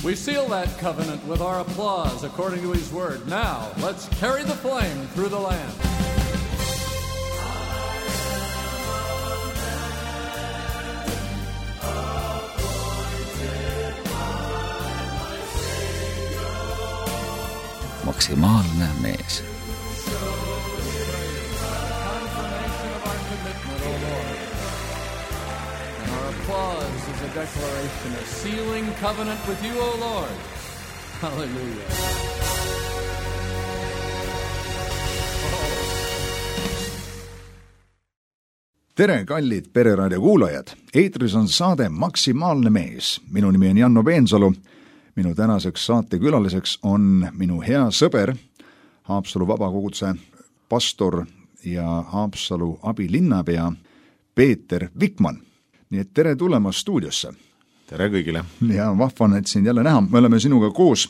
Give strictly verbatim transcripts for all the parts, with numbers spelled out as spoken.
We seal that covenant with our applause according to his word. Now, let's carry the flame through the land. Maksimaalne mees. Applause is a declaration, a sealing covenant with you, O Lord. Hallelujah. Tere, kallid Pereraadio kuulajad! Eetris on saade Maksimaalne mees. Minu nimi on Janno Peensalu. Minu tänaseks saatekülaliseks on minu hea sõber, Haapsalu vabakoguduse pastor ja Haapsalu abilinnapea Peeter Vikman. Nii et tere tulemast stuudiosse. Tere kõigile. Ja vahvan, et sind jälle näha. Me oleme sinuga koos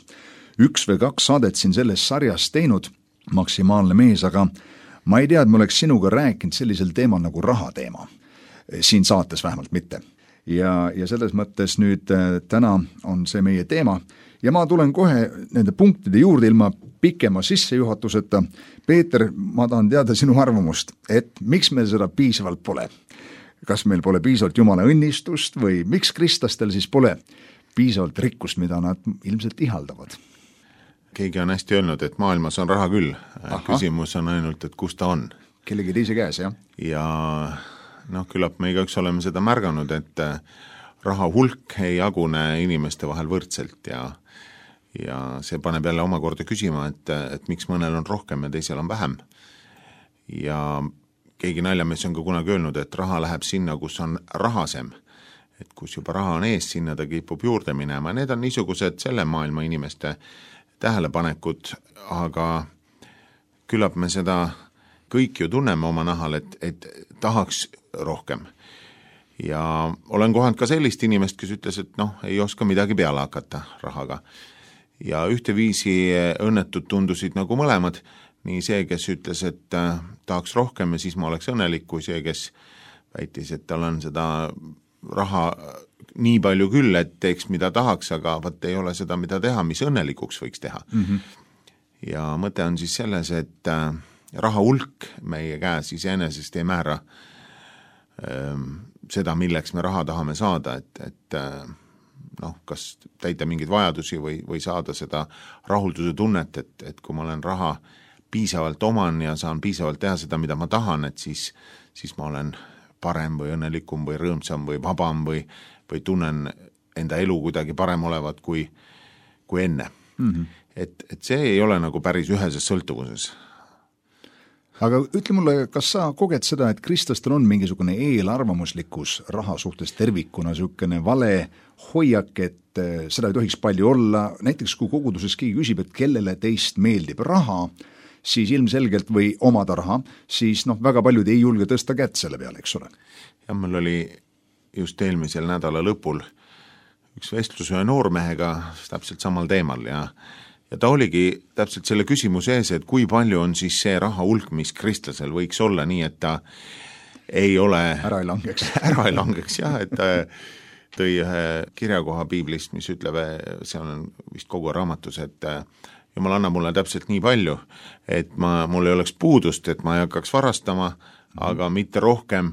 üks või kaks saadet siin selles sarjas teinud, Maksimaalne mees, aga ma ei tea, et ma oleks sinuga rääkinud sellisel teemal nagu rahateema. Siin saates vähemalt mitte. Ja, ja selles mõttes nüüd täna on see meie teema. Ja ma tulen kohe nende punktide juurde ilma pikema sissejuhatuseta. Peeter, ma tahan teada sinu arvamust, et miks meil seda piisavalt pole? Kas meil pole piisavalt Jumala õnnistust või miks kristlastel siis pole piisavalt rikkust, mida nad ilmselt ihaldavad? Keegi on hästi öelnud, et maailmas on raha küll. Aha. Küsimus on ainult, et kus ta on. Kellegi teise käes, jah? Ja noh, küllap me igaüks oleme seda märganud, et raha hulk ei jagune inimeste vahel võrdselt ja, ja see paneb jälle omakorda küsima, et, et miks mõnel on rohkem ja teisel on vähem. Ja keegi naljamees on ka kunagi öelnud, et raha läheb sinna, kus on rahasem. Et kus juba raha on ees, sinna ta kipub juurde minema. Need on niisugused selle maailma inimeste tähelepanekud, aga küllap me seda kõik ju tunneme oma nahal, et, et tahaks rohkem. Ja olen kohanud ka sellist inimest, kes ütles, et noh, ei oska midagi peale hakata rahaga. Ja ühteviisi õnnetud tundusid nagu mõlemad, nii see, kes ütles, et äh, tahaks rohkem ja siis ma oleks õnnelik, kui see, kes väitis, et tal on seda raha nii palju küll, et teeks mida tahaks, aga vaat ei ole seda, mida teha, mis õnnelikuks võiks teha. Mm-hmm. Ja mõte on siis selles, et äh, raha hulk meie käes iseenesest ei määra äh, seda, milleks me raha tahame saada, et, et äh, noh, kas täita mingeid vajadusi või, või saada seda rahulduse tunnet, et, et kui ma olen raha piisavalt oman ja saan piisavalt teha seda, mida ma tahan, et siis, siis ma olen parem või õnnelikum või rõõmsam või vabam või, või tunnen enda elu kuidagi parem olevat kui, kui enne. Mm-hmm. Et, et see ei ole nagu päris üheses sõltuvuses. Aga ütle mulle, kas sa koged seda, et kristlastel on mingisugune eelarvamuslikkus raha suhtes tervikuna, niisugune vale hoiak, et seda ei tohiks palju olla. Näiteks kui koguduses keegi küsib, et kellele teist meeldib raha, siis ilmselgelt või omada raha, siis noh, väga paljud ei julge tõsta kätt selle peale, eks ole. Ja mul oli just eelmisel nädala lõpul üks vestlus ühe noormehega täpselt samal teemal ja, ja ta oligi täpselt selle küsimuse ees, et kui palju on siis see raha hulk, mis kristlasel võiks olla nii, et ta ei ole ära ei langeks, ära ei langeks jah, et ta tõi ühe kirjakoha piiblist, mis ütleb, see on vist kogu raamatus, et Jumal anna mulle täpselt nii palju, et ma, mul ei oleks puudust, et ma ei hakkaks varastama, aga mitte rohkem,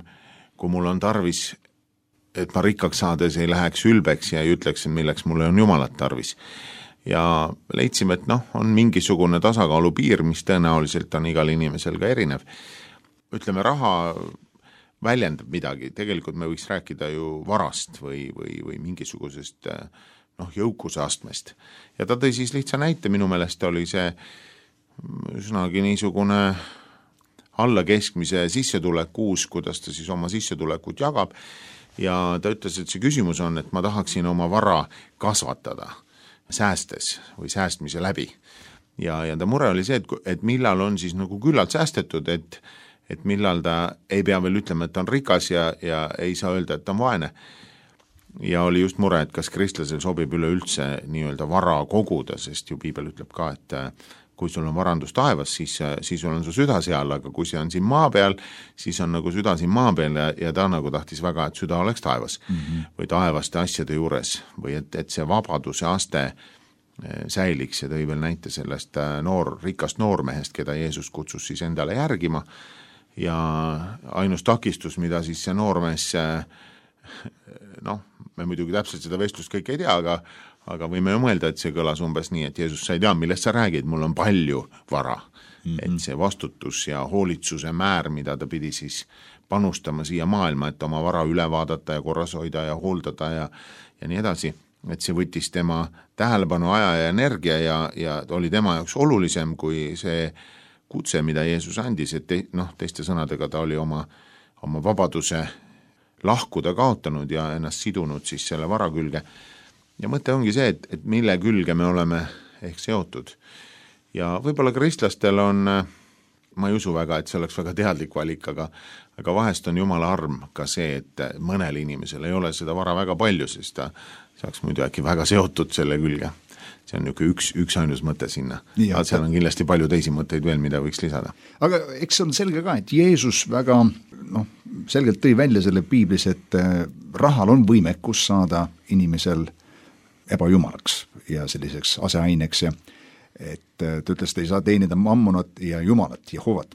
kui mul on tarvis, et ma rikkaks saades ei läheks ülbeks ja ei ütleks, milleks mulle on Jumalat tarvis. Ja leidsime, et noh, on mingisugune tasakaalu piir, mis tõenäoliselt on igal inimesel ka erinev. Ütleme, raha väljendab midagi, tegelikult me võiks rääkida ju varast või, või, või mingisugusest noh, jõukuse astmest. Ja ta tõi siis lihtsa näite, minu meelest oli see üsnagi niisugune alla keskmise sissetulek kuus, kuidas ta siis oma sissetulekut jagab. Ja ta ütles, et see küsimus on, et ma tahaksin oma vara kasvatada säästes või säästmise läbi. Ja, ja ta mure oli see, et, et millal on siis nagu küllalt säästetud, et, et millal ta ei pea veel ütlema, et ta on rikas ja, ja ei saa öelda, et ta on vaene. Ja oli just mure, et kas kristlasel sobib üleüldse nii-öelda vara koguda, sest ju piibel ütleb ka, et kui sul on varandus taevas, siis, siis sul on su süda seal, aga kui see on siin maa peal, siis on nagu süda siin maa peal ja, ja ta nagu tahtis väga, et süda oleks taevas mm -hmm. või taevaste asjade juures või et, et see vabaduse aste säiliks ja tõi veel näite sellest noor, rikast noormehest, keda Jeesus kutsus siis endale järgima ja ainus takistus, mida siis see noormees, noh, me muidugi täpselt seda vestlust kõik ei tea, aga aga võime ju mõelda, et see kõlas umbes nii, et Jeesus, sa ei tea, millest sa räägid, mul on palju vara. Mm-hmm. Et see vastutus ja hoolitsuse määr, mida ta pidi siis panustama siia maailma, et oma vara üle vaadata ja korras hoida ja hooldada ja, ja nii edasi, et see võttis tema tähelepanu, aja ja energia ja, ja oli tema jaoks olulisem kui see kutse, mida Jeesus andis, et te, noh, teiste sõnadega ta oli oma, oma vabaduse lahkuda kaotanud ja ennast sidunud siis selle vara külge. Ja mõte ongi see, et, et mille külge me oleme ehk seotud. Ja võib-olla kristlastel on, ma ei usu väga, et see oleks väga teadlik valik, aga, aga vahest on Jumala arm ka see, et mõnel inimesel ei ole seda vara väga palju, sest ta saaks muidu äkki väga seotud selle külge. See on niisugune üks, üks ainus mõte sinna. Aga seal on kindlasti palju teisi mõtteid veel, mida võiks lisada. Aga eks on selge ka, et Jeesus väga noh, selgelt tõi välja selle piiblis, et rahal on võimekus saada inimesel ebajumalaks ja selliseks aseaineks ja et ta ütles, et ei saa teenida mammonat ja jumalat, Jehovat.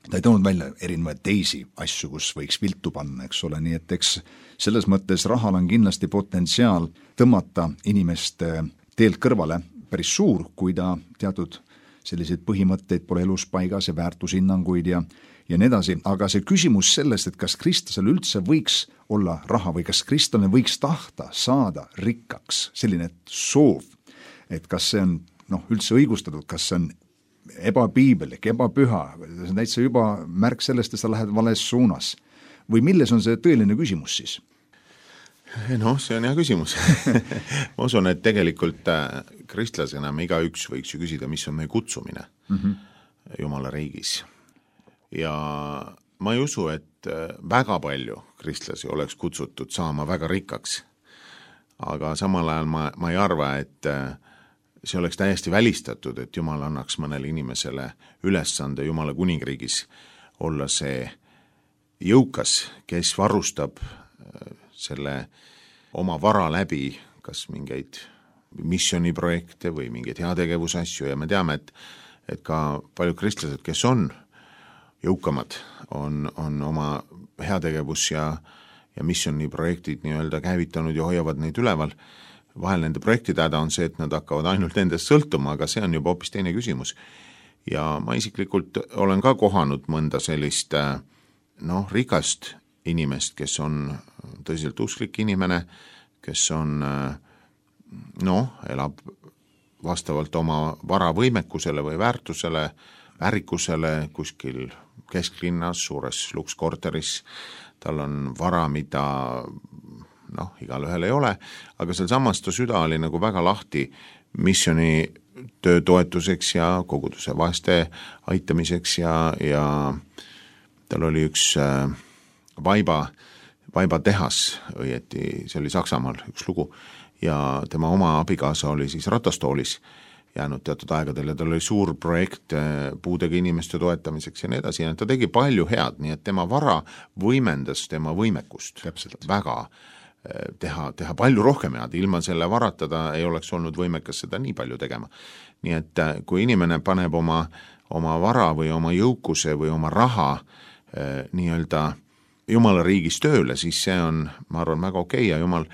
Ta ei toonud välja erinevaid teisi asju, kus võiks viltu panna, eks ole, nii et eks selles mõttes rahal on kindlasti potentsiaal tõmmata inimest teelt kõrvale päris suur, kui ta teatud selliseid põhimõtteid pole elus paigas ja väärtushinnanguid ja, ja nii edasi, aga see küsimus sellest, et kas kristlasel üldse võiks olla raha või kas kristlane võiks tahta saada rikkaks, selline soov, et kas see on noh, üldse õigustatud, kas see on ebapiibelik, ebapüha, see on täitsa juba märk sellest, et sa lähed vales suunas või milles on see tõeline küsimus siis? Noh, see on hea küsimus. Ma usun, et tegelikult kristlasena me igaüks võiks ju küsida, mis on meie kutsumine mm -hmm. Jumala riigis. Ja ma ei usu, et väga palju kristlasi oleks kutsutud saama väga rikkaks. Aga samal ajal ma, ma ei arva, et see oleks täiesti välistatud, et Jumal annaks mõnele inimesele ülesande Jumala kuningriigis olla see jõukas, kes varustab selle oma vara läbi, kas mingeid missioniprojekte või mingeid heategevusasju ja me teame, et, et ka paljud kristlased, kes on jõukamad, on, on oma heategevus ja, ja missioniprojektid nii-öelda käivitanud ja hoiavad neid üleval. Vahel nende projektide häda on see, et nad hakkavad ainult nendest sõltuma, aga see on juba hoopis teine küsimus. Ja ma isiklikult olen ka kohanud mõnda sellist noh, rikast inimest, kes on tõsiselt usklik inimene, kes on noh, elab vastavalt oma varavõimekusele või väärtusele, väärikusele kuskil kesklinnas, suures lukskorteris, tal on vara, mida noh, igal ühel ei ole, aga seal samas ta süda oli nagu väga lahti missioni töö toetuseks ja koguduse vaeste aitamiseks ja, ja tal oli üks äh, vaiba, vaiba tehas, õieti see oli Saksamaal üks lugu ja tema oma abikaasa oli siis ratastoolis jäänud teatud aegadel ja tal oli suur projekt puudega inimeste toetamiseks ja nii edasi ja ta tegi palju head, nii et tema vara võimendas tema võimekust Täpselt. väga teha, teha palju rohkem head, ilma selle varata ta ei oleks olnud võimekas seda nii palju tegema. Nii et kui inimene paneb oma, oma vara või oma jõukuse või oma raha eh, nii-öelda Jumala riigis tööle, siis see on, ma arvan, väga okei ja Jumal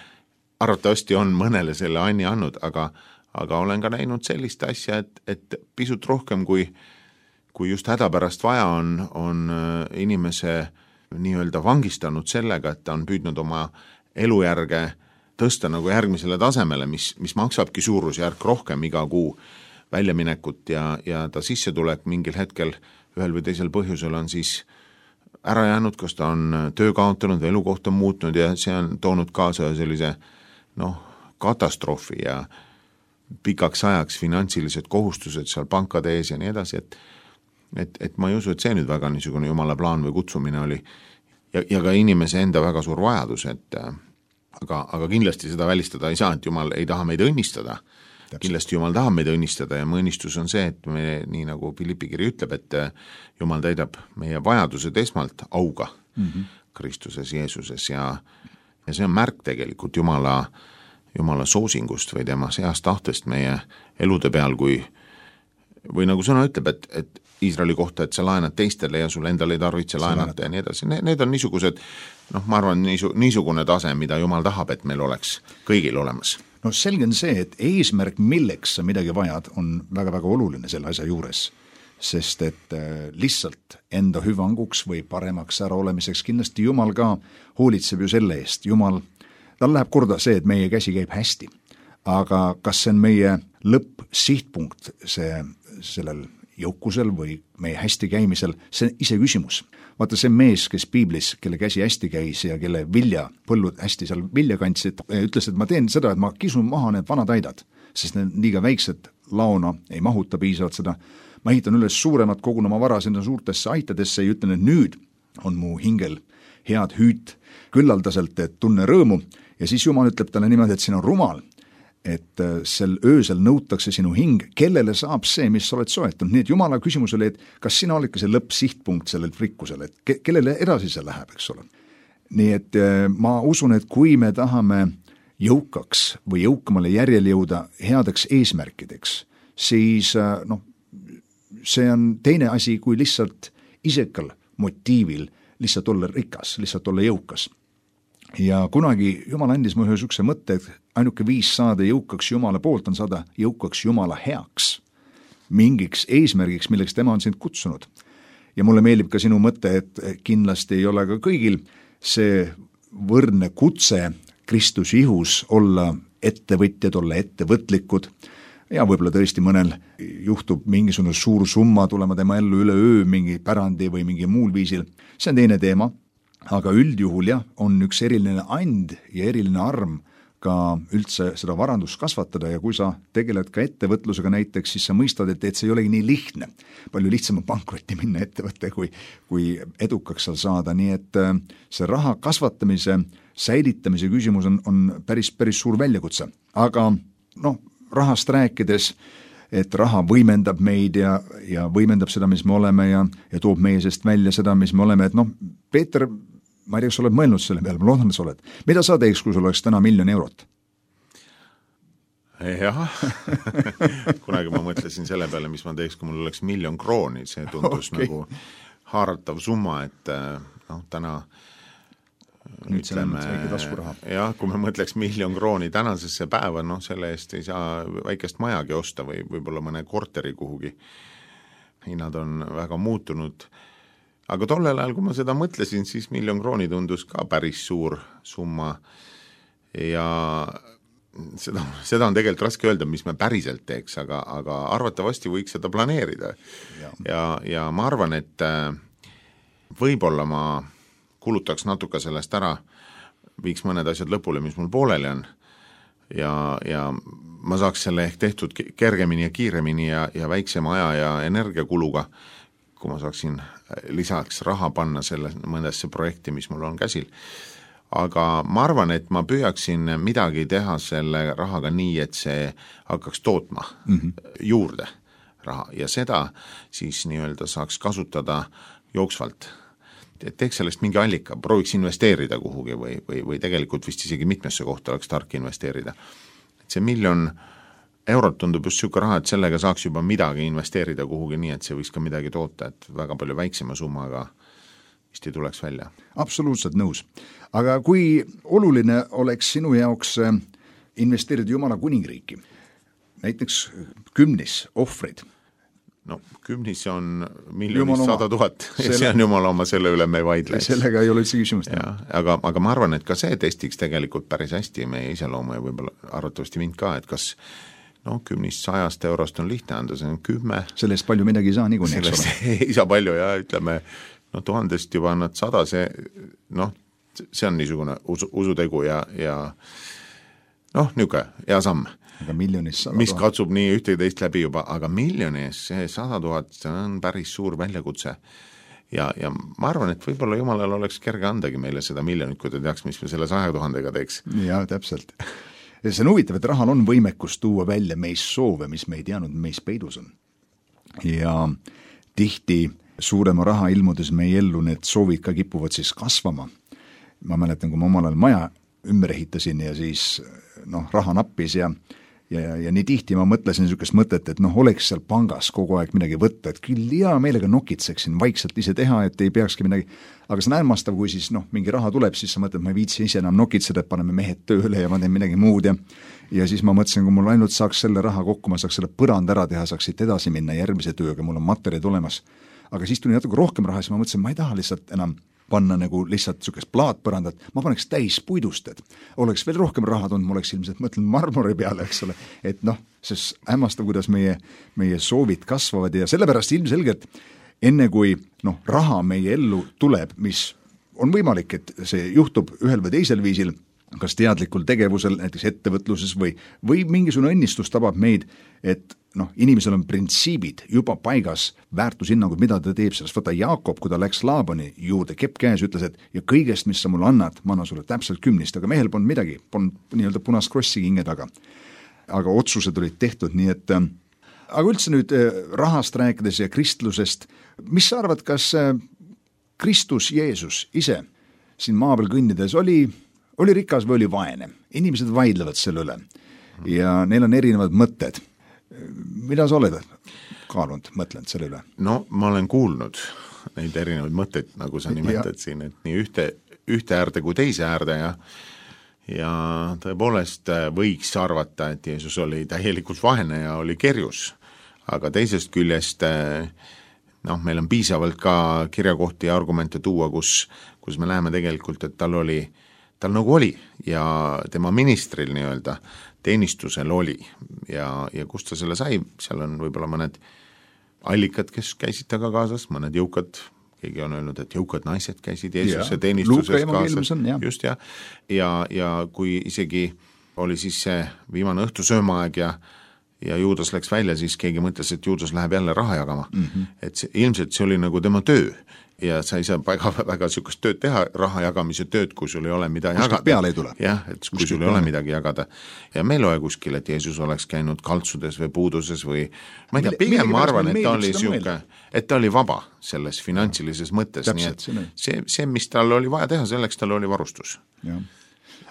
arvatavasti on mõnele selle anni andnud, aga, aga olen ka näinud sellist asja, et, et pisut rohkem kui, kui just hädapärast vaja on, on inimese nii-öelda vangistanud sellega, et ta on püüdnud oma elujärge tõsta nagu järgmisele tasemele, mis, mis maksabki suurusjärk rohkem iga kuu väljaminekut ja, ja ta sissetulek mingil hetkel ühel või teisel põhjusel on siis ära jäänud, kas ta on töö kaotanud või elukoht on muutnud ja see on toonud kaasa sellise noh, katastroofi ja pikaks ajaks finantsilised kohustused seal pankade ees ja nii edasi, et, et, et ma ei usu, et see nüüd väga niisugune Jumala plaan või kutsumine oli ja, ja ka inimese enda väga suur vajadus, et aga, aga kindlasti seda välistada ei saa, et Jumal ei taha meid õnnistada kindlasti Jumal tahab meid õnnistada ja mu õnnistus on see, et me, nii nagu Philippi kiri ütleb, et Jumal täidab meie vajadused esmalt auga mm-hmm. Kristuses Jeesuses ja, ja see on märk tegelikult Jumala, Jumala soosingust või tema seast tahtest meie elude peal, kui või nagu sõna ütleb, et, et Iisraeli kohta, et sa laenad teistele ja sul endal ei tarvitse laenata ja nii edasi. Need on niisugused, noh, ma arvan, niisu, niisugune tase, mida Jumal tahab, et meil oleks kõigil olemas. No selge on see, et eesmärk, milleks sa midagi vajad, on väga-väga oluline selle asja juures, sest et lihtsalt enda hüvanguks või paremaks ära olemiseks kindlasti Jumal ka hoolitseb ju selle eest. Jumal, tal läheb korda see, et meie käsi käib hästi, aga kas see on meie lõppsihtpunkt see, sellel jõukusel või meie hästi käimisel, see on ise küsimus. Vaata see mees, kes piiblis, kelle käsi hästi käis ja kelle vilja, põllud hästi seal vilja kandsid, ütles, et ma teen seda, et ma kisun maha need vanad aidad, sest need liiga väiksed laona ei mahuta piisavalt seda. Ma ehitan üles suuremat kogun oma vara sinna suurtesse aitadesse ja ütlen, et nüüd on mu hingel head hüüt küllaldaselt, et tunne rõõmu ja siis Jumal ütleb talle niimoodi, et siin on rumal, et sel öösel nõutakse sinu hing, kellele saab see, mis sa oled soetanud. Nii et Jumala küsimus oli, et kas sina olidki see lõppsihtpunkt sellel frikkusel, et ke- kellele edasi see läheb, eks ole. Nii et ma usun, et kui me tahame jõukaks või jõukamale järjel jõuda headeks eesmärkideks, siis noh, see on teine asi, kui lihtsalt isekal motiivil lihtsalt olla rikas, lihtsalt olla jõukas. Ja kunagi Jumal andis mulle ühe mõtte, et ainuke viis saada jõukaks Jumala poolt on saada jõukaks Jumala heaks, mingiks eesmärgiks, milleks tema on sind kutsunud. Ja mulle meeldib ka sinu mõte, et kindlasti ei ole ka kõigil see võrdne kutse Kristus ihus olla ettevõtjad, olla ettevõtlikud ja võib-olla tõesti mõnel juhtub mingisugune suur summa tulema tema ellu üle öö mingi pärandi või mingi muul viisil. See on teine teema. Aga üldjuhul jah, on üks eriline and ja eriline arm ka üldse seda varandust kasvatada ja kui sa tegeled ka ettevõtlusega näiteks, siis sa mõistad, et, et see ei olegi nii lihtne. Palju lihtsam on pankrotti minna ettevõtte, kui, kui edukaks seal saada, nii et see raha kasvatamise, säilitamise küsimus on, on päris, päris suur väljakutse. Aga noh, rahast rääkides, et raha võimendab meid ja, ja võimendab seda, mis me oleme ja, ja toob meie seest välja seda, mis me oleme, et noh, Peeter, ma ei tea, kas sa oled mõelnud selle peale, ma loodan, et sa oled. Mida sa teeks, kui sul oleks täna miljon eurot? Jah, kunagi ma mõtlesin selle peale, mis ma teeks, kui mul oleks miljon krooni, see tundus okay. Nagu haaratav summa, et noh, täna nüüd ütleme, jah, kui me mõtleks miljon krooni tänasesse päeva, noh, selle eest ei saa väikest majagi osta või võib-olla mõne korteri kuhugi. Hinnad on väga muutunud. Aga tollel ajal, kui ma seda mõtlesin, siis miljon krooni tundus ka päris suur summa ja seda, seda on tegelikult raske öelda, mis me päriselt teeks, aga, aga arvatavasti võiks seda planeerida. Ja, ja, ja ma arvan, et võib-olla ma kulutaks natuke sellest ära, viiks mõned asjad lõpule, mis mul pooleli on ja, ja ma saaks selle ehk tehtud kergemini ja kiiremini ja, ja väiksema aja ja energiakuluga, kui ma saaksin lisaks raha panna selle mõndasse projekti, mis mul on käsil. Aga ma arvan, et ma püüaksin midagi teha selle rahaga nii, et see hakkaks tootma mm-hmm. juurde raha ja seda siis nii-öelda saaks kasutada jooksvalt. Et teeks sellest mingi allika, prooviks investeerida kuhugi või, või, või tegelikult vist isegi mitmesse kohta oleks tark investeerida. Et see miljon eurot tundub just siuke raha, et sellega saaks juba midagi investeerida kuhugi nii, et see võiks ka midagi toota, et väga palju väiksema summaga vist ei tuleks välja. Absoluutselt nõus. Aga kui oluline oleks sinu jaoks investeerida Jumala kuningriiki? Näiteks kümnis ohvrid. No kümnis on miljonist sada tuhat ja see on Jumala oma, selle üle me ei vaidle. Sellega ei ole üldse küsimust. Aga, aga ma arvan, et ka see testiks tegelikult päris hästi meie iseloomu ja võib-olla arvatavasti mind ka, et kas no kümnist sajast eurost on lihtne anda, see on kümme. Sellest palju midagi ei saa niikuinii. Sellest ei saa palju ja ütleme, no tuhandest juba annad sada, see, noh, see on niisugune usu, usutegu ja, ja noh, niisugune hea samm. Aga miljonis sada mis katsub nii ühte ja teist läbi juba, aga miljonis see sada tuhat, see on päris suur väljakutse. Ja, ja ma arvan, et võib-olla Jumalal oleks kerge andagi meile seda miljonit, kui ta teaks, mis me selle saja tuhandega teeks. Ja, täpselt. see on huvitav, et rahal on võimekus tuua välja meis soove, mis me ei teadnud, meis peidus on. Ja tihti suurema raha ilmudes meie ellu need soovid ka kipuvad siis kasvama. Ma mäletan, kui ma omal ajal maja ümber ehitasin ja siis noh, raha nappis ja Ja, ja, ja nii tihti ma mõtlesin niisugust mõtet, et noh, oleks seal pangas kogu aeg midagi võtta, et küll hea meelega nokitseksin vaikselt ise teha, et ei peakski midagi, aga see on äärmastav, kui siis noh, mingi raha tuleb, siis sa mõtled, ma ei viitsi ise enam nokitseda, et paneme mehed tööle ja ma teen midagi muud ja ja siis ma mõtlesin, kui mul ainult saaks selle raha kokku, ma saaks selle põrand ära teha, saaks siit edasi minna järgmise tööga, mul on materjalid olemas. Aga siis tuli natuke rohkem raha, siis ma mõtlesin, ma ei taha lihtsalt enam panna nagu lihtsalt niisugust plaatpõrandat, ma paneks täis puidust, et oleks veel rohkem raha tulnud, ma oleks ilmselt mõtlenud marmori peale, eks ole, et noh, see hämmastav, kuidas meie, meie soovid kasvavad ja sellepärast ilmselgelt enne kui noh, raha meie ellu tuleb, mis on võimalik, et see juhtub ühel või teisel viisil, kas teadlikul tegevusel, näiteks ettevõtluses või, või mingisugune õnnistus tabab meid, et noh, inimesel on printsiibid juba paigas, väärtushinnangud, mida ta teeb, sellest võta Jaakob, kui ta läks Laabani juurde, kepp käes, ütles, et ja kõigest, mis sa mulle annad, ma annan sulle täpselt kümnist, aga mehel polnud midagi, polnud nii-öelda punast krossi kinge taga. Aga otsused olid tehtud, nii et aga üldse nüüd rahast rääkides ja kristlusest, mis sa arvad, kas Kristus Jeesus ise siin maa peal kõnnides oli oli rikas või oli vaene. Inimesed vaidlevad selle üle ja neil on erinevad mõtted. Mida sa oled kaalunud, mõtlenud selle üle? No ma olen kuulnud neid erinevaid mõtteid, nagu sa nimetad ja. Siin, et nii ühte, ühte äärde kui teise äärde ja ja tõepoolest võiks arvata, et Jeesus oli täielikult vaene ja oli kerjus, aga teisest küljest noh, meil on piisavalt ka kirjakohti ja argumente tuua, kus, kus me näeme tegelikult, et tal oli tal nagu oli ja tema ministril nii-öelda teenistusel oli ja, ja kust ta selle sai, seal on võib-olla mõned allikad, kes käisid taga kaasas, mõned jõukad, keegi on öelnud, et jõukad naised käisid Jeesuse teenistuses kaasas, just ja, ja, ja kui isegi oli siis see viimane õhtusöömaaeg ja ja Juudas läks välja, siis keegi mõtles, et Juudas läheb jälle raha jagama, mm-hmm. et see, ilmselt see oli nagu tema töö ja sa ei saa väga, väga niisugust tööd teha, raha jagamise tööd, kui sul ei ole mida kuskil jagada. Peale ei tule. Jah, et kui kuskil sul ei ole midagi jagada. Ja meil ole kuskil, et Jeesus oleks käinud kaltsudes või puuduses või ma ei tea, pigem ma arvan, et ta oli siuke, et ta oli vaba selles finantsilises mõttes. Täpselt, nii et see, see, mis tal oli vaja teha, selleks tal oli varustus. Ja.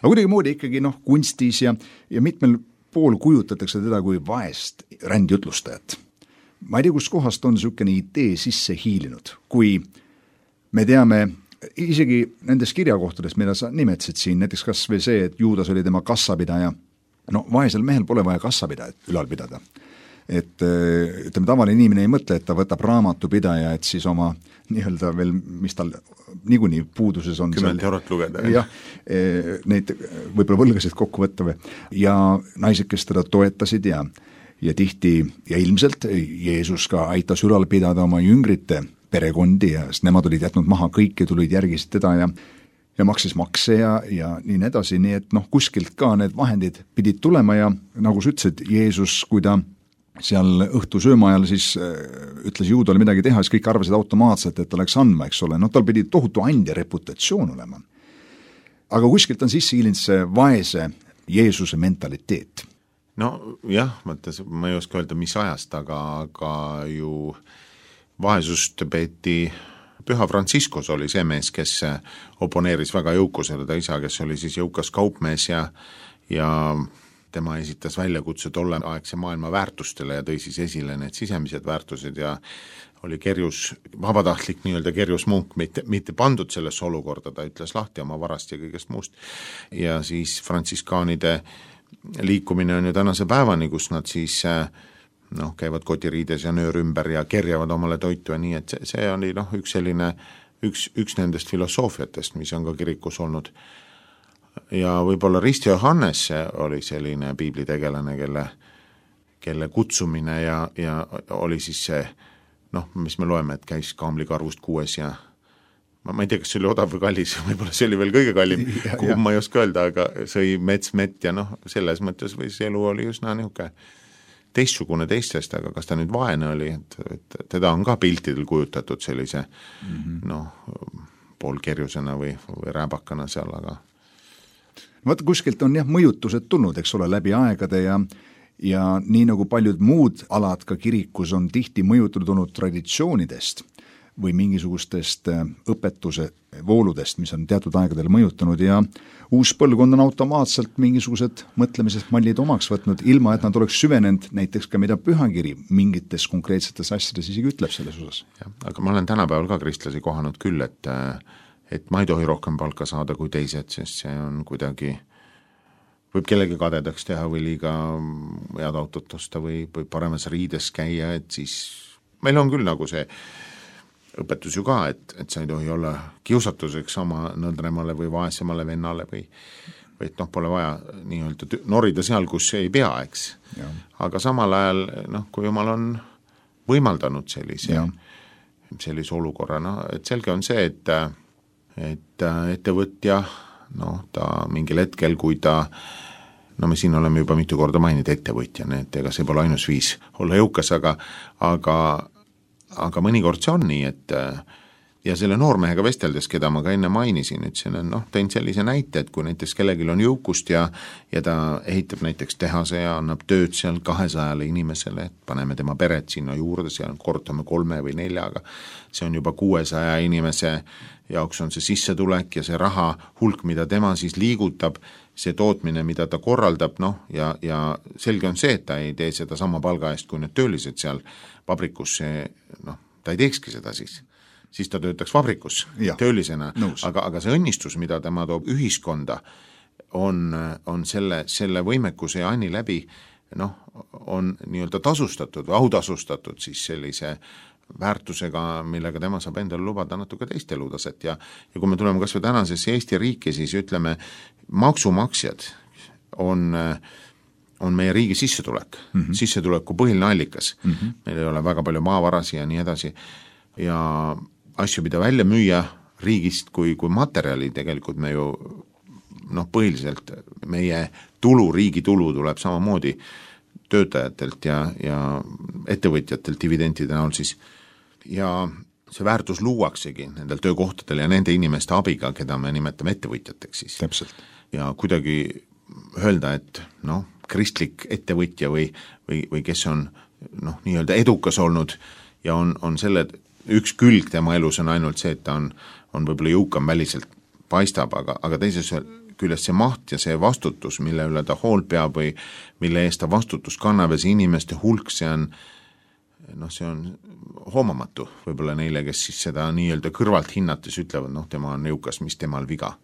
Aga kuidagi moodi ikkagi noh, kunstis ja, ja mitmel pool kujutatakse teda kui vaest rändjutlustajat. Ma ei tea, kus kohast on niisugune idee sisse hiilinud, kui me teame isegi nendes kirjakohtades, mida sa nimetasid siin, näiteks kas või see, et Juudas oli tema kassapidaja, no vaesel mehel pole vaja kassapidajat ülal pidada. Et ütleme, tavaline inimene ei mõtle, et ta võtab raamatupidaja, et siis oma nii-öelda veel, mis tal niikuinii puuduses on. Kümmet eurot lugeda. Jah, neid võib-olla võlgasid kokku võtta või. Ja naised, kes teda toetasid ja, ja tihti ja ilmselt Jeesus ka aitas ülal pidada oma jüngrite perekondi ja nemad olid jätnud maha kõik ja tulid järgisid teda ja, ja maksis makse ja, ja nii edasi, nii et noh, kuskilt ka need vahendid pidid tulema ja nagu sa ütlesid, Jeesus, kui ta seal õhtu sööma ajal siis ütles Juudale midagi teha, siis kõik arvasid automaatselt, et ta läks andma, eks ole, noh tal pidi tohutu andja reputatsioon olema. Aga kuskilt on sisse hiilinud see vaese Jeesuse mentaliteet. No jah, mõttes, ma ei oska öelda, mis ajast, aga, aga ju vaesust peeti, Püha Franciscus oli see mees, kes oponeeris väga jõukusele, ta isa, kes oli siis jõukas kaupmees ja, ja tema esitas väljakutse tolleaegse maailma väärtustele ja tõi siis esile need sisemised väärtused ja oli kerjus, vabatahtlik nii-öelda kerjus munk, mitte, mitte pandud sellesse olukorda, ta ütles lahti oma varast ja kõigest muust. Ja siis frantsiskaanide liikumine on ju tänase päevani, kus nad siis noh, käivad kotiriides ja nöör ümber ja kerjavad omale toitu ja nii, et see, see oli noh, üks selline, üks, üks nendest filosoofiatest, mis on ka kirikus olnud. Ja võib-olla Risti Johannes oli selline piiblitegelane, kelle, kelle kutsumine ja, ja oli siis see, noh, mis me loeme, et käis kaamlikarvust kuues ja ma, ma ei tea, kas see oli odav või kallis, võib-olla see oli veel kõige kallim, kuhu ma ei oska öelda, aga sõi mets, mett ja noh, selles mõttes või see elu oli üsna nihuke teistsugune teistest, aga kas ta nüüd vaene oli, et, et teda on ka piltidel kujutatud sellise mm-hmm. noh, poolkerjusena või, või rääbakana seal, aga Vaat kuskilt on jah mõjutused tulnud, eks ole, läbi aegade ja ja nii nagu paljud muud alad ka kirikus on tihti mõjutatud olnud traditsioonidest või mingisugustest õpetuse vooludest, mis on teatud aegadel mõjutanud ja uus põlvkond on automaatselt mingisugused mõtlemisest mallid omaks võtnud, ilma et nad oleks süvenenud näiteks ka mida pühakiri mingites konkreetsetes asjades isegi ütleb selles osas. Aga ma olen tänapäeval ka kristlasi kohanud küll, et, et ma ei tohi rohkem palka saada kui teised, sest see on kuidagi, võib kellegi kadedaks teha või liiga head autot osta või, või paremas riides käia, et siis meil on küll nagu see õpetus ju ka, et, et sa ei tohi olla kiusatuseks oma nõldremale või vaesemale vennale või, või et noh, pole vaja nii-öelda norida seal, kus ei pea, eks. Ja. Aga samal ajal, noh, kui jumal on võimaldanud sellise, sellise olukorra, no, et selge on see, et, et ettevõtja, noh, ta mingil hetkel, kui ta, no me siin oleme juba mitu korda maininud ettevõtjana, et ega see pole ainus viis olla jõukas, aga, aga aga mõnikord see on nii, et ja selle noormehega vesteldes, keda ma ka enne mainisin, ütlesin, et noh, tein sellise näite, et kui näiteks kellelgi on jõukust ja, ja ta ehitab näiteks tehase ja annab tööd seal kahesajale inimesele, et paneme tema peret sinna juurde, seal kortame kolme või neljaga, see on juba kuuesaja inimese jaoks on see sissetulek ja see raha hulk, mida tema siis liigutab, see tootmine, mida ta korraldab, noh, ja, ja selge on see, et ta ei tee seda sama palga eest, kui need töölised seal vabrikus, see, noh, ta ei teekski seda siis. Siis ta töötaks vabrikus ja, töölisena, aga, aga see õnnistus, mida tema toob ühiskonda, on, on selle, selle võimekuse ja anni läbi, noh, on nii-öelda tasustatud või autasustatud siis sellise väärtusega, millega tema saab endale lubada natuke teist elutaset ja, ja kui me tuleme kas või tänasesse Eesti riiki, siis ütleme, maksumaksjad on, on meie riigi sissetulek, mm -hmm. sissetuleku põhiline allikas. Mm -hmm. Meil ei ole väga palju maavarasi ja nii edasi ja asju, mida välja müüa riigist kui, kui materjali, tegelikult me ju noh, põhiliselt meie tulu, riigi tulu tuleb samamoodi töötajatelt ja, ja ettevõtjatelt dividendide näol siis ja see väärtus luuaksegi nendel töökohtadel ja nende inimeste abiga, keda me nimetame ettevõtjateks siis. Täpselt. Ja kuidagi öelda, et noh, kristlik ettevõtja või, või, või kes on noh, nii-öelda edukas olnud ja on, on selle üks külg tema elus on ainult see, et ta on, on võib-olla jõukam väliselt paistab, aga, aga teises küljest see maht ja see vastutus, mille üle ta hoolt peab või mille eest ta vastutus kannab ja see inimeste hulk, see on noh, see on hoomamatu võib-olla neile, kes siis seda nii-öelda kõrvalt hinnates ütlevad, noh, tema on jõukas, mis temal viga.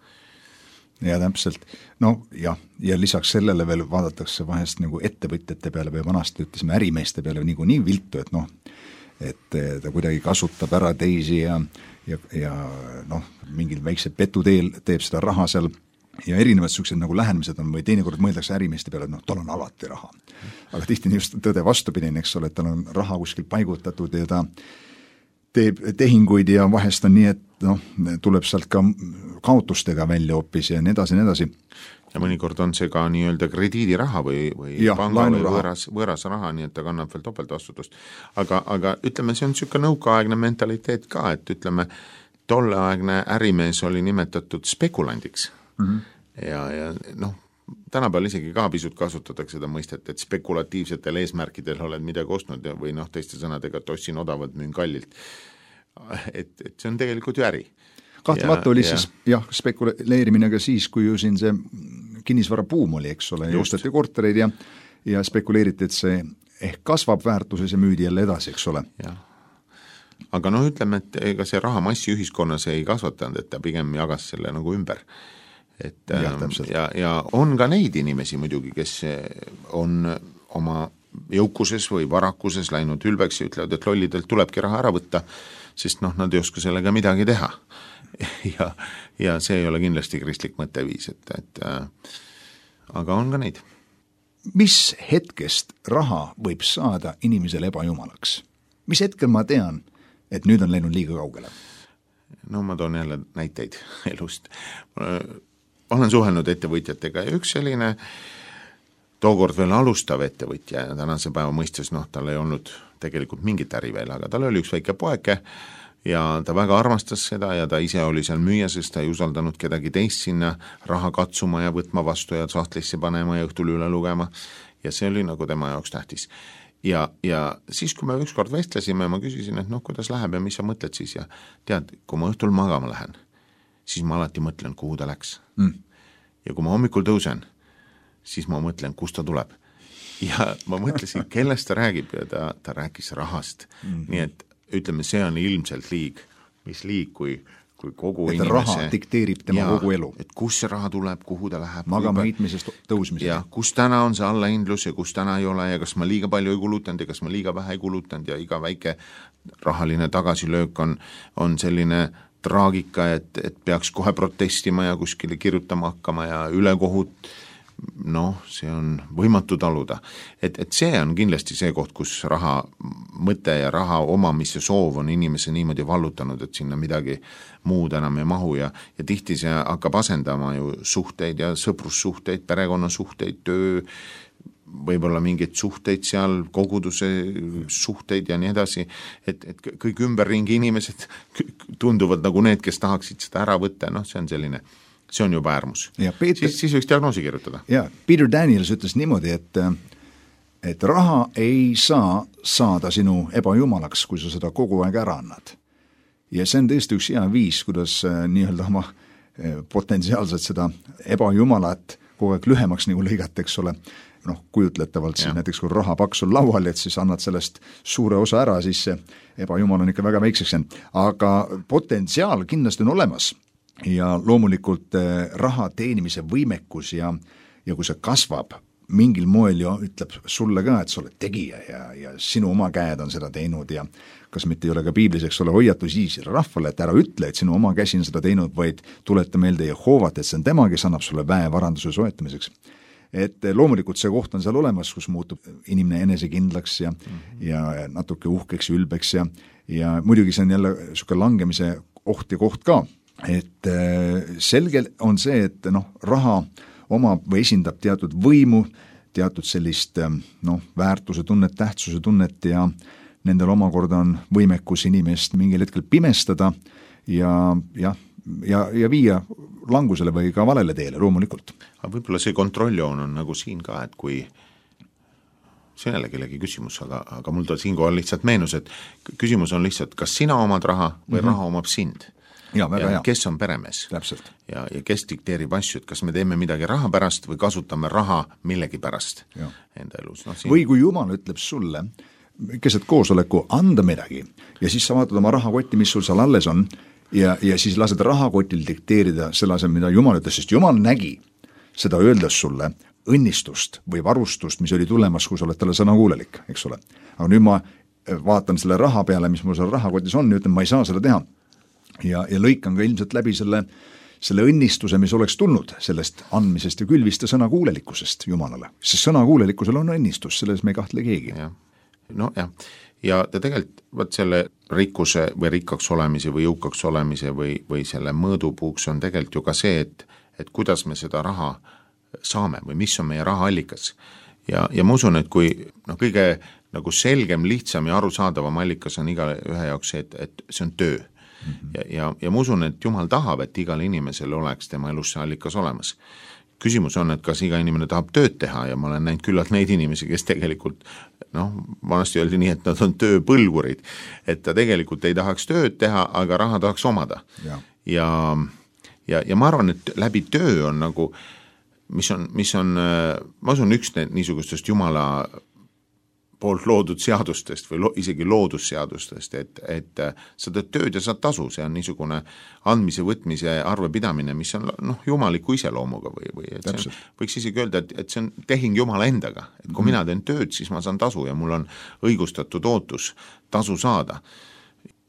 Ja täpselt, no jah, ja lisaks sellele veel vaadatakse vahest nagu ettevõtjate peale või vanasti ütlesime ärimeeste peale nagu nii viltu, et noh, et ta kuidagi kasutab ära teisi ja, ja, ja noh, mingil väiksed petuteel teeb seda raha seal ja erinevad sellised nagu lähenemised on või teinekord mõeldakse ärimeeste peale, et noh, tal on alati raha. Aga tihti on just tõde vastupidine, eks ole, et tal on raha kuskil paigutatud ja ta teeb tehinguid ja vahest on nii, et noh, tuleb sealt ka kaotustega välja hoopis ja nii edasi, nii edasi. Ja mõnikord on see ka nii-öelda krediidiraha või, või ja, panga või võõras, võõras raha, nii et ta kannab veel topeltvastutust. Aga, aga ütleme, see on niisugune nõukaaegne mentaliteet ka, et ütleme, tolleaegne ärimees oli nimetatud spekulandiks. Mm -hmm. ja, ja noh, tänapäeval isegi ka pisut kasutatakse seda mõistet, et spekulatiivsetel eesmärkidel oled midagi ostnud ja, või noh, teiste sõnadega, et ostsin odavalt, müün kallilt. Et, et see on tegelikult ju äri. Kahtlemata oli ja, siis jah, spekuleerimine ka siis, kui ju siin see kinnisvarabuum oli, eks ole, osteti kortereid ja, ja spekuleeriti, et see ehk kasvab väärtuses ja müüdi jälle edasi, eks ole. Jah. Aga noh, ütleme, et ega see rahamassi ühiskonnas ei kasvatanud, et ta pigem jagas selle nagu ümber. Et, ja, ja, ja on ka neid inimesi muidugi, kes on oma jõukuses või varakuses läinud ülbeks ja ütlevad, et lollidelt tulebki raha ära võtta, sest noh, nad ei oska sellega midagi teha. Ja, ja see ei ole kindlasti kristlik mõtteviis, et, et äh, aga on ka neid. Mis hetkest raha võib saada inimesele ebajumalaks? Mis hetkel ma tean, et nüüd on läinud liiga kaugele? No ma toon jälle näiteid elust. Olen suhelnud ettevõtjatega ja üks selline tookord veel alustav ettevõtja ja tänase päeva mõistes, noh, tal ei olnud tegelikult mingit äri veel, aga tal oli üks väike poeke ja ta väga armastas seda ja ta ise oli seal müüa, sest ta ei usaldanud kedagi teist sinna raha katsuma ja võtma vastu ja sahtlisse panema ja õhtul üle lugema ja see oli nagu tema jaoks tähtis. Ja, ja siis, kui me ükskord vestlesime, ma küsisin, et noh, kuidas läheb ja mis sa mõtled siis ja tead, kui ma õhtul magama lähen, siis ma alati mõtlen, kuhu ta läks. Mm. Ja kui ma hommikul tõusen, siis ma mõtlen, kust ta tuleb. Ja ma mõtlesin, kellest ta räägib ja ta, ta rääkis rahast. Mm-hmm. Nii et ütleme, see on ilmselt liig, mis liig, kui, kui kogu et inimese... raha dikteerib tema ja, kogu elu. Et kus see raha tuleb, kuhu ta läheb. Magama heitmisest tõusmisest. Ja kus täna on see allahindlus ja kus täna ei ole ja kas ma liiga palju ei kulutanud ja kas ma liiga vähe ei kulutanud ja iga väike rahaline tagasilöök on, on selline traagika, et, et peaks kohe protestima ja kuskile kirjutama hakkama ja ülekohut, noh, see on võimatu taluda. Et, et see on kindlasti see koht, kus raha mõte ja raha omamise soov on inimese niimoodi vallutanud, et sinna midagi muud enam ei mahu ja, ja tihti see hakkab asendama ju suhteid ja sõprussuhteid, perekonnasuhteid, töö, võib-olla mingeid suhteid seal, koguduse suhteid ja nii edasi, et, et kõik ümberringi inimesed tunduvad nagu need, kes tahaksid seda ära võtta, noh, see on selline see on juba äärmus. Peeter, siis, siis võiks diagnoosi kirjutada. Ja, Peter Daniels ütles niimoodi, et, et raha ei saa saada sinu ebajumalaks, kui sa seda kogu aeg ära annad. Ja see on tõesti üks hea viis, kuidas nii-öelda oma potentsiaalselt seda ebajumalat kogu aeg lühemaks nagu lõigata, eks ole, noh, kujutletavalt siis ja. Näiteks kui rahapaks on laual, et siis annad sellest suure osa ära, siis see ebajumal on ikka väga väikseks jäänud. Aga potentsiaal kindlasti on olemas. Ja loomulikult raha teenimise võimekus ja, ja kui see kasvab mingil moel ju ütleb sulle ka, et sa oled tegija ja, ja sinu oma käed on seda teinud ja kas mitte ei ole ka piiblis, eks ole, hoiatus Iisraeli rahvale, et ära ütle, et sinu oma käsi on seda teinud, vaid tuleta meelde Jehoovat, et see on tema, kes annab sulle väe varanduse soetamiseks. Et loomulikult see koht on seal olemas, kus muutub inimene enesekindlaks ja, mm-hmm. ja natuke uhkeks ja ülbeks ja, ja muidugi see on jälle suke langemise oht ja koht ka. Et selge on see, et noh, raha omab või esindab teatud võimu, teatud sellist noh, väärtuse tunnet, tähtsuse tunnet ja nendel omakorda on võimekus inimest mingil hetkel pimestada ja, ja, ja, ja viia langusele või ka valele teele loomulikult. Aga võib-olla see kontrolljoon on nagu siin ka, et kui see on jälle kellegi küsimus, aga, aga mul ta siinkohal lihtsalt meenus, et küsimus on lihtsalt, kas sina omad raha või mm-hmm. raha omab sind. Ja, väga ja hea. Kes on peremees Täpselt. ja, ja kes dikteerib asju, et kas me teeme midagi raha pärast või kasutame raha millegi pärast ja. Enda elus. No, siin... Või kui Jumal ütleb sulle, keset koosoleku anda midagi ja siis sa vaatad oma rahakotti, mis sul seal alles on ja, ja siis lased rahakotil dikteerida selle asem, mida Jumal ütles, sest Jumal nägi seda öeldes sulle õnnistust või varustust, mis oli tulemas, kui sa oled talle sõnakuulelik, eks ole. Aga nüüd ma vaatan selle raha peale, mis mul seal rahakotis on ja ütlen, ma ei saa seda teha. Ja, ja lõikan ka ilmselt läbi selle, selle õnnistuse, mis oleks tulnud sellest andmisest ja külviste sõnakuulelikkusest Jumalale. Sest sõnakuulelikkusel on õnnistus, selles me ei kahtle keegi. Ja. No jah, ja tegelikult võt selle rikkuse või rikkaks olemise või jõukaks olemise või, või selle mõõdupuuks on tegelikult ju ka see, et, et kuidas me seda raha saame või mis on meie rahaallikas. Ja, ja ma usun, et kui no, kõige nagu selgem, lihtsam ja arusaadavam allikas on iga ühe jaoks see, et, et see on töö. Ja, ja, ja ma usun, et Jumal tahab, et igal inimesel oleks tema elus see allikas olemas. Küsimus on, et kas iga inimene tahab tööd teha ja ma olen näinud küllalt neid inimesi, kes tegelikult, noh, vanasti öeldi nii, et nad on tööpõlgurid, et ta tegelikult ei tahaks tööd teha, aga raha tahaks omada. Ja, ja, ja, ja ma arvan, et läbi töö on nagu, mis on, mis on ma usun üks niisugustest Jumala poolt loodud seadustest või lo, isegi loodusseadustest, et, et sa teed tööd ja saad tasu, see on niisugune andmise, võtmise arvepidamine, mis on noh, jumaliku iseloomuga või, või et see on, võiks isegi öelda, et, et see on tehing Jumala endaga, et kui mm-hmm. mina teen tööd, siis ma saan tasu ja mul on õigustatud ootus tasu saada.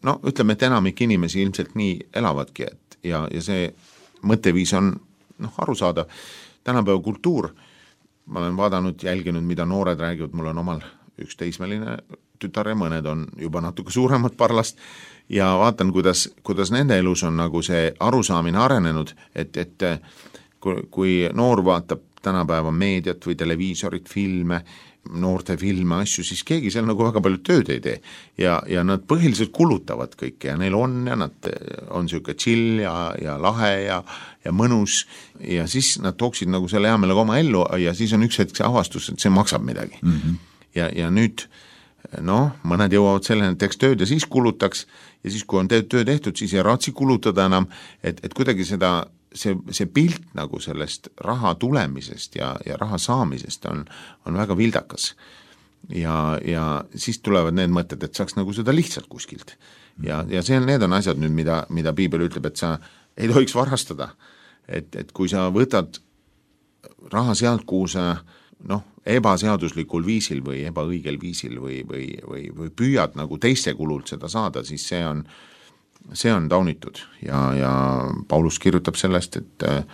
No ütleme, et enamik inimesi ilmselt nii elavadki, et ja, ja see mõtteviis on noh, arusaadav. Tänapäeva kultuur, ma olen vaadanud, jälginud, mida noored räägivad, mul on omal üks teismeline tütar ja mõned on juba natuke suuremad parlast ja vaatan, kuidas, kuidas nende elus on nagu see arusaamine arenenud, et, et kui, kui noor vaatab tänapäeva meediat või televiisorit, filme noorte filme, asju, siis keegi seal nagu väga palju tööd ei tee. Ja, ja nad põhiliselt kulutavad kõike ja neil on ja nad on niisugune chill ja, ja lahe ja, ja mõnus ja siis nad tooksid nagu selle hea meelega oma ellu ja siis on üks hetk see avastus, et see maksab midagi. Mm-hmm. Ja, ja nüüd noh, mõned jõuavad selleni, et teeks tööd ja siis kulutaks ja siis, kui on töö tehtud, siis ei raatsi kulutada enam, et, et kuidagi seda see, see pilt nagu sellest raha tulemisest ja, ja raha saamisest on, on väga vildakas. Ja, ja siis tulevad need mõtted, et saaks nagu seda lihtsalt kuskilt. Ja, ja see, need on asjad nüüd, mida, mida Piibel ütleb, et sa ei tohiks varastada. Et, et kui sa võtad raha sealt, kuhu sa noh, ebaseaduslikul viisil või ebaõigel viisil või, või, või, või püüad nagu teiste kulult seda saada, siis see on see on taunitud ja, ja Paulus kirjutab sellest, et äh,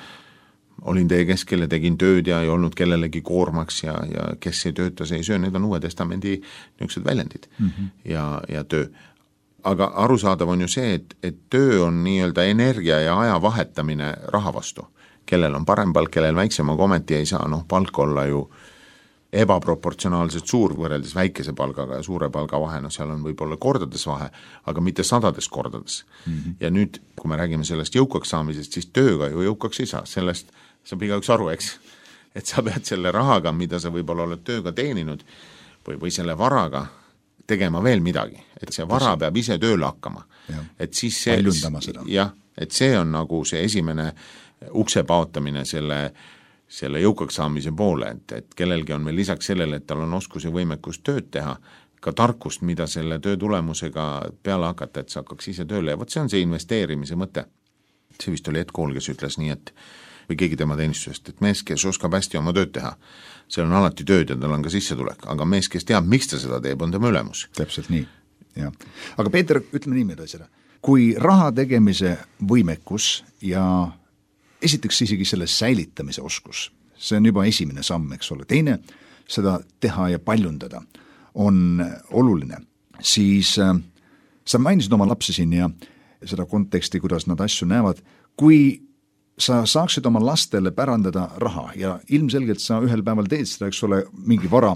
olin teie keskel ja tegin tööd ja ei olnud kellelegi koormaks ja, ja kes ei tööta, see ei söö, need on Uue Testamendi niisugused väljendid mm-hmm. ja, ja töö. Aga arusaadav on ju see, et, et töö on nii-öelda energia ja aja vahetamine raha vastu. Kellel on parem palk, kellel väiksem, aga ometi ei saa noh, palk olla ju ebaproportsionaalselt suur võrreldes väikese palgaga ja suure palga vahe, no seal on võib-olla kordades vahe, aga mitte sadades kordades. Mm-hmm. Ja nüüd, kui me räägime sellest jõukaks saamisest, siis tööga ju jõukaks ei saa, sellest saab igaüks aru, eks, et sa pead selle rahaga, mida sa võib-olla oled tööga teeninud või, või selle varaga tegema veel midagi, et see vara peab ise tööle hakkama. Ja. Et siis see, jah, et see on nagu see esimene ukse paotamine selle selle jõukaks saamise poole, et, et kellelgi on veel lisaks sellele, et tal on oskus ja võimekus tööd teha, ka tarkust, mida selle töö tulemusega peale hakata, et sa hakkaks ise tööle ja võt see on see investeerimise mõte. See vist oli Ed Kool, kes ütles nii, et või keegi tema teenistusest, et mees, kes oskab hästi oma tööd teha, seal on alati tööd ja tal on ka sissetulek, aga mees, kes teab, miks ta seda teeb, on tema ülemus. Täpselt nii, jah. Aga Peeter, ütleme niimoodi seda, kui raha tegemise võimekus ja esiteks isegi selle säilitamise oskus, see on juba esimene samm, eks ole. Teine, seda teha ja paljundada on oluline. Siis äh, sa mainisid oma lapsi siin ja seda konteksti, kuidas nad asju näevad. Kui sa saaksid oma lastele pärandada raha ja ilmselgelt sa ühel päeval teed seda, eks ole, mingi vara,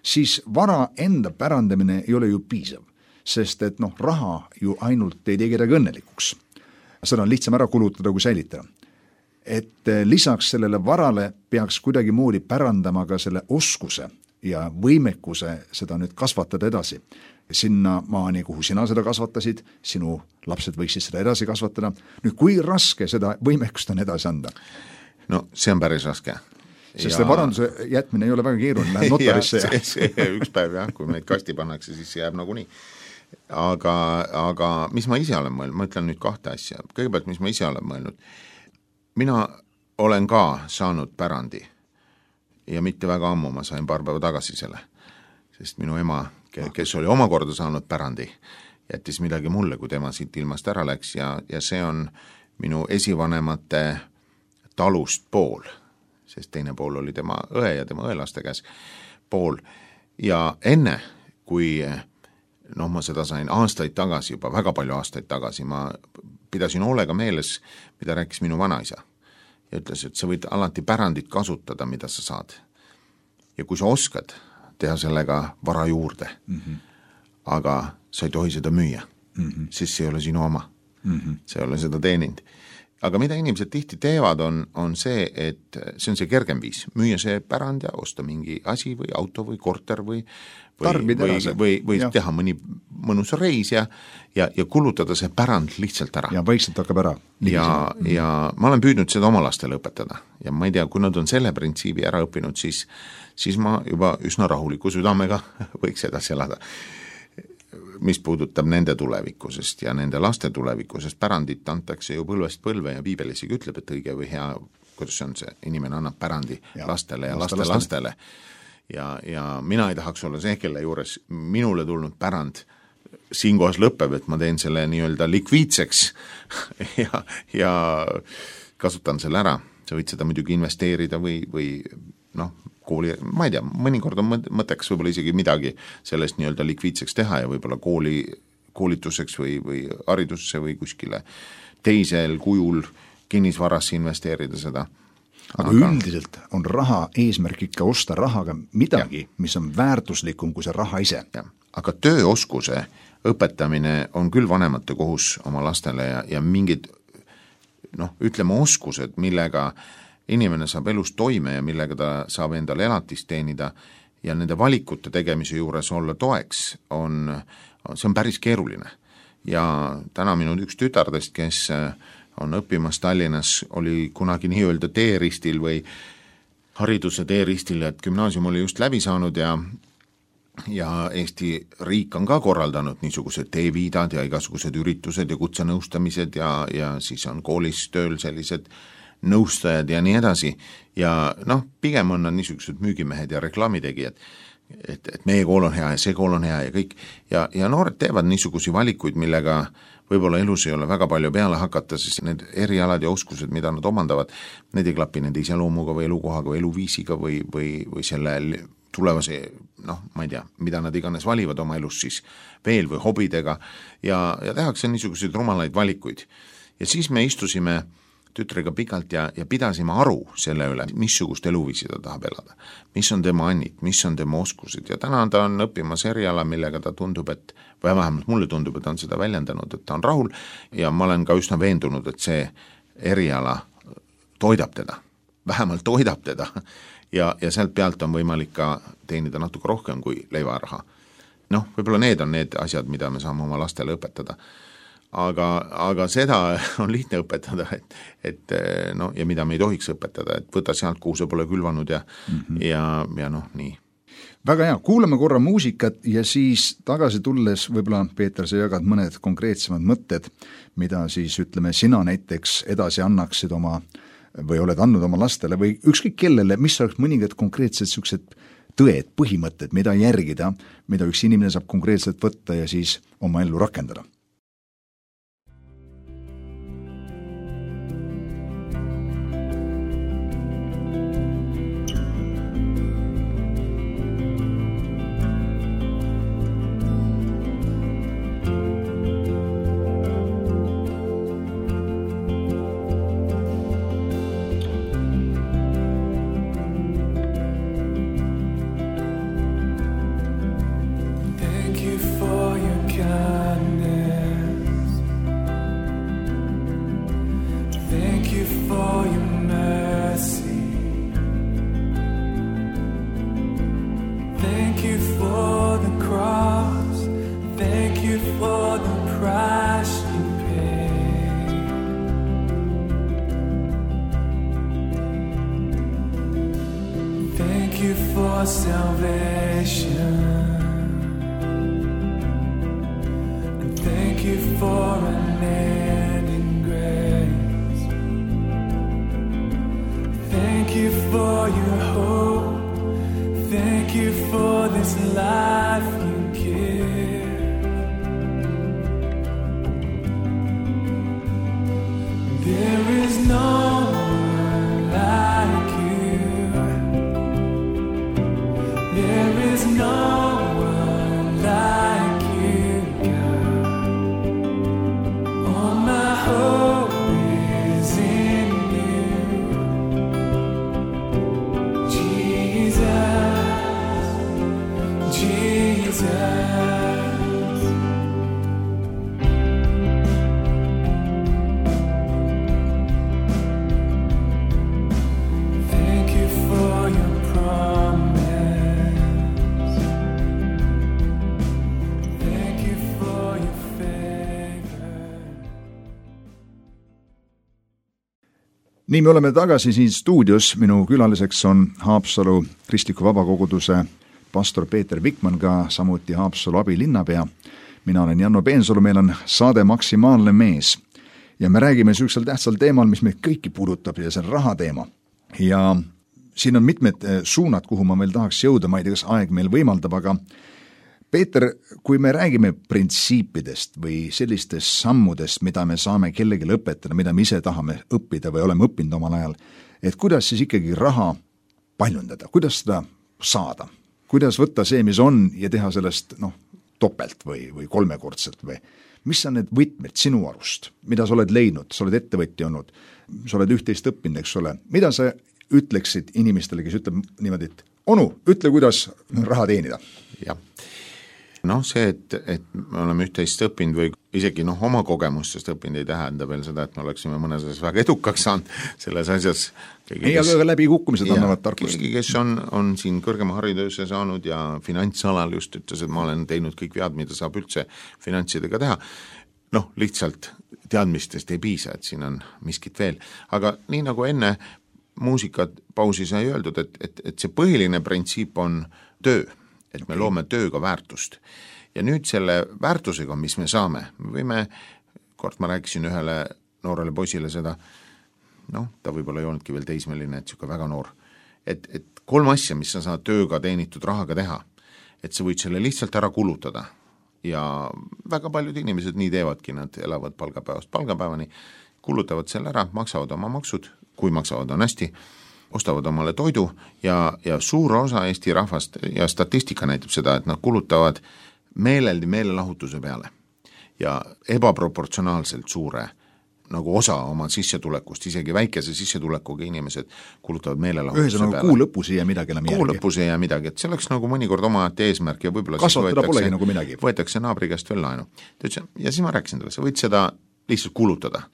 siis vara enda pärandamine ei ole ju piisav, sest et noh, raha ju ainult ei tee kedagi õnnelikuks. Seda on lihtsam ära kulutada kui säilitada. Et lisaks sellele varale peaks kuidagi moodi pärandama ka selle oskuse ja võimekuse seda nüüd kasvatada edasi. Sinna maani, kuhu sina seda kasvatasid, sinu lapsed võiksid seda edasi kasvatada. Nüüd, kui raske seda võimekust on edasi anda? No see on päris raske. Sest ja... see varanduse jätmine ei ole väga keeruline, läheb notarisse. ja, ja... See, see, üks päev jah, kui meid kasti pannakse, siis see jääb nagu nii. Aga, aga mis ma ise olen mõelnud, ma ütlen nüüd kahte asja. Kõigepealt, mis ma ise olen mõelnud, mina olen ka saanud pärandi ja mitte väga ammu, ma sain paar päeva tagasi selle, sest minu ema, kes oli omakorda saanud pärandi, jättis midagi mulle, kui tema siit ilmast ära läks ja, ja see on minu esivanemate talust pool, sest teine pool oli tema õe ja tema õelaste käes pool ja enne, kui noh, ma seda sain aastaid tagasi, juba väga palju aastaid tagasi, ma pidasin hoolega meeles, mida rääkis minu vanaisa ja ütles, et sa võid alati pärandit kasutada, mida sa saad. Ja kui sa oskad teha sellega vara juurde, mm-hmm. aga sa ei tohi seda müüa, mm-hmm. siis see ei ole sinu oma, mm-hmm. see ei ole seda teeninud. Aga mida inimesed tihti teevad, on, on see, et see on see kergem viis, müüa see pärand ja osta mingi asi või auto või korter või või, või, või, või teha mõni mõnus reis ja, ja, ja kulutada see pärand lihtsalt ära. Ja vaikselt hakkab ära. Ja, ja ma olen püüdnud seda oma lastele õpetada ja ma ei tea, kui nad on selle printsiibi ära õppinud, siis, siis ma juba üsna rahuliku südamega võiks edasi elada. Mis puudutab nende tulevikusest ja nende laste tulevikusest, pärandit antakse ju põlvest põlve ja Piibel isegi ütleb, et õige või hea, kuidas see on see, inimene annab pärandi ja, lastele ja laste lastele, lastele. Ja, ja mina ei tahaks olla see, kelle juures minule tulnud pärand siinkohas lõpeb, et ma teen selle nii-öelda likviidseks ja, ja kasutan selle ära. Sa võid seda muidugi investeerida või, või noh, kooli, ma ei tea, mõnikord on mõtteks võib-olla isegi midagi sellest nii-öelda likviidseks teha ja võib-olla kooli koolituseks või, või haridusse või kuskile teisel kujul kinnisvarasse investeerida seda. aga, aga üldiselt on raha eesmärk ikka osta rahaga midagi, ja. mis on väärtuslikum kui see raha ise. Aga tööoskuse õpetamine on küll vanemate kohus oma lastele ja, ja mingid noh, ütleme oskused, millega inimene saab elus toime ja millega ta saab endale elatist teenida ja nende valikute tegemise juures olla toeks, on, see on päris keeruline. Ja täna minu üks tütardest, kes on õppimas Tallinnas, oli kunagi nii-öelda teeristil või hariduse teeristil, et gümnaasium oli just läbi saanud ja ja Eesti riik on ka korraldanud niisugused teeviidad ja igasugused üritused ja kutsenõustamised ja, ja siis on koolis tööl sellised nõustajad ja nii edasi. Ja noh, pigem on niisugused müügimehed ja reklaamitegijad, et, et meie kool on hea ja see kool on hea ja kõik. Ja, ja noored teevad niisugusi valikuid, millega võib-olla elus ei ole väga palju peale hakata, sest need erialad ja oskused, mida nad omandavad, need ei klapi nende iseloomuga või elukohaga või eluviisiga või, või, või selle tulevase, noh, ma ei tea, mida nad iganes valivad oma elus siis veel või hobidega ja, ja tehakse niisuguseid rumalaid valikuid. Ja siis me istusime tütrega pikalt ja, ja pidasime aru selle üle, missugust eluviisi ta tahab elada, mis on tema annid, mis on tema oskused ja täna ta on õppimas eriala, millega ta tundub, et või vähemalt mulle tundub, et ta on seda väljendanud, et ta on rahul ja ma olen ka üsna veendunud, et see eriala toidab teda, vähemalt toidab teda ja, ja sealt pealt on võimalik ka teenida natuke rohkem kui leivaraha. Noh, võib-olla need on need asjad, mida me saame oma lastele õpetada. Aga, aga seda on lihtne õpetada, et, et no, ja mida me ei tohiks õpetada, et võta sealt, kuhu see pole külvanud ja, mm-hmm. ja, ja noh, nii. Väga hea, kuulame korra muusikat ja siis tagasi tulles võib-olla, Peeter, sa jagad mõned konkreetsemad mõtted, mida siis ütleme, sina näiteks edasi annaksid oma või oled andnud oma lastele või ükskõik kellele, mis oleks mõningad konkreetsed sellised tõed, põhimõtted, mida järgida, mida üks inimene saab konkreetselt võtta ja siis oma ellu rakendada. Salvation, and thank you for unending grace. Thank you for your hope. Thank you for this life you give. There is no one like you. There is no one like you, God. All my hope is in you, Jesus, Jesus. Thank you for your promise. Nii me oleme tagasi siin stuudios, minu külaliseks on Haapsalu Kristliku Vabakoguduse pastor Peeter Vikman, ka samuti Haapsalu abilinnapea. Mina olen Janno Peensalu, meil on saade Maksimaalne mees ja me räägime süüksel tähtsal teemal, mis meid kõiki puudutab ja see on raha teema. Ja siin on mitmed suunad, kuhu ma veel tahaks jõuda, ma ei tea, kas aeg meil võimaldab, aga Peeter, kui me räägime printsiipidest või sellistest sammudest, mida me saame kellelegi õpetada, mida me ise tahame õppida või oleme õppinud omal ajal, et kuidas siis ikkagi raha paljundada, kuidas seda saada, kuidas võtta see, mis on ja teha sellest noh, topelt või, või kolmekordselt või mis on need võtmed sinu arust, mida sa oled leidnud, sa oled ettevõtja olnud, sa oled üht-teist õppinud, eks ole, mida sa ütleksid inimestele, kes ütleb niimoodi, et onu, ütle, kuidas raha teenida? Jah. Noh, see, et, et me oleme üht-teist õppinud või isegi noh, oma kogemustest õppinud ei tähenda veel seda, et me oleksime mõnes asjas väga edukaks saanud selles asjas. Ei, aga kes, läbi kukkumised annavad tarkust. Keegi, kes on, on siin kõrgema hariduse saanud ja finantsalal just ütles, et ma olen teinud kõik vead, mida saab üldse finantsidega teha. Noh, lihtsalt teadmistest ei piisa, et siin on miskit veel. Aga nii nagu enne muusikat pausi sai öeldud, et, et, et see põhiline printsiip on töö. Et me loome tööga väärtust. Ja nüüd selle väärtusega, mis me saame, me võime, kord ma rääkisin ühele noorele poisile seda, noh, ta võib-olla ei olnudki veel teismeline, et siuke väga noor, et, et kolm asja, mis sa saad tööga teenitud rahaga teha, et sa võid selle lihtsalt ära kulutada ja väga paljud inimesed nii teevadki, nad elavad palgapäevast palgapäevani, kulutavad selle ära, maksavad oma maksud, kui maksavad on hästi, ostavad omale toidu ja, ja suur osa Eesti rahvast ja statistika näitab seda, et nad kulutavad meeleldi meelelahutuse peale ja ebaproportsionaalselt suure nagu osa oma sissetulekust, isegi väikese sissetulekuga inimesed kulutavad meelelahutuse Ühesõnaga, peale. Kuu lõpus ei jää midagi enam järgi. Kuu lõpus ei jää midagi, et see oleks nagu mõnikord oma eesmärk ja võib-olla kasvatada polegi nagu midagi. Võetakse naabri käest veel laenu. Ja siis ma rääkisin talle, sa võid seda lihtsalt kulutada.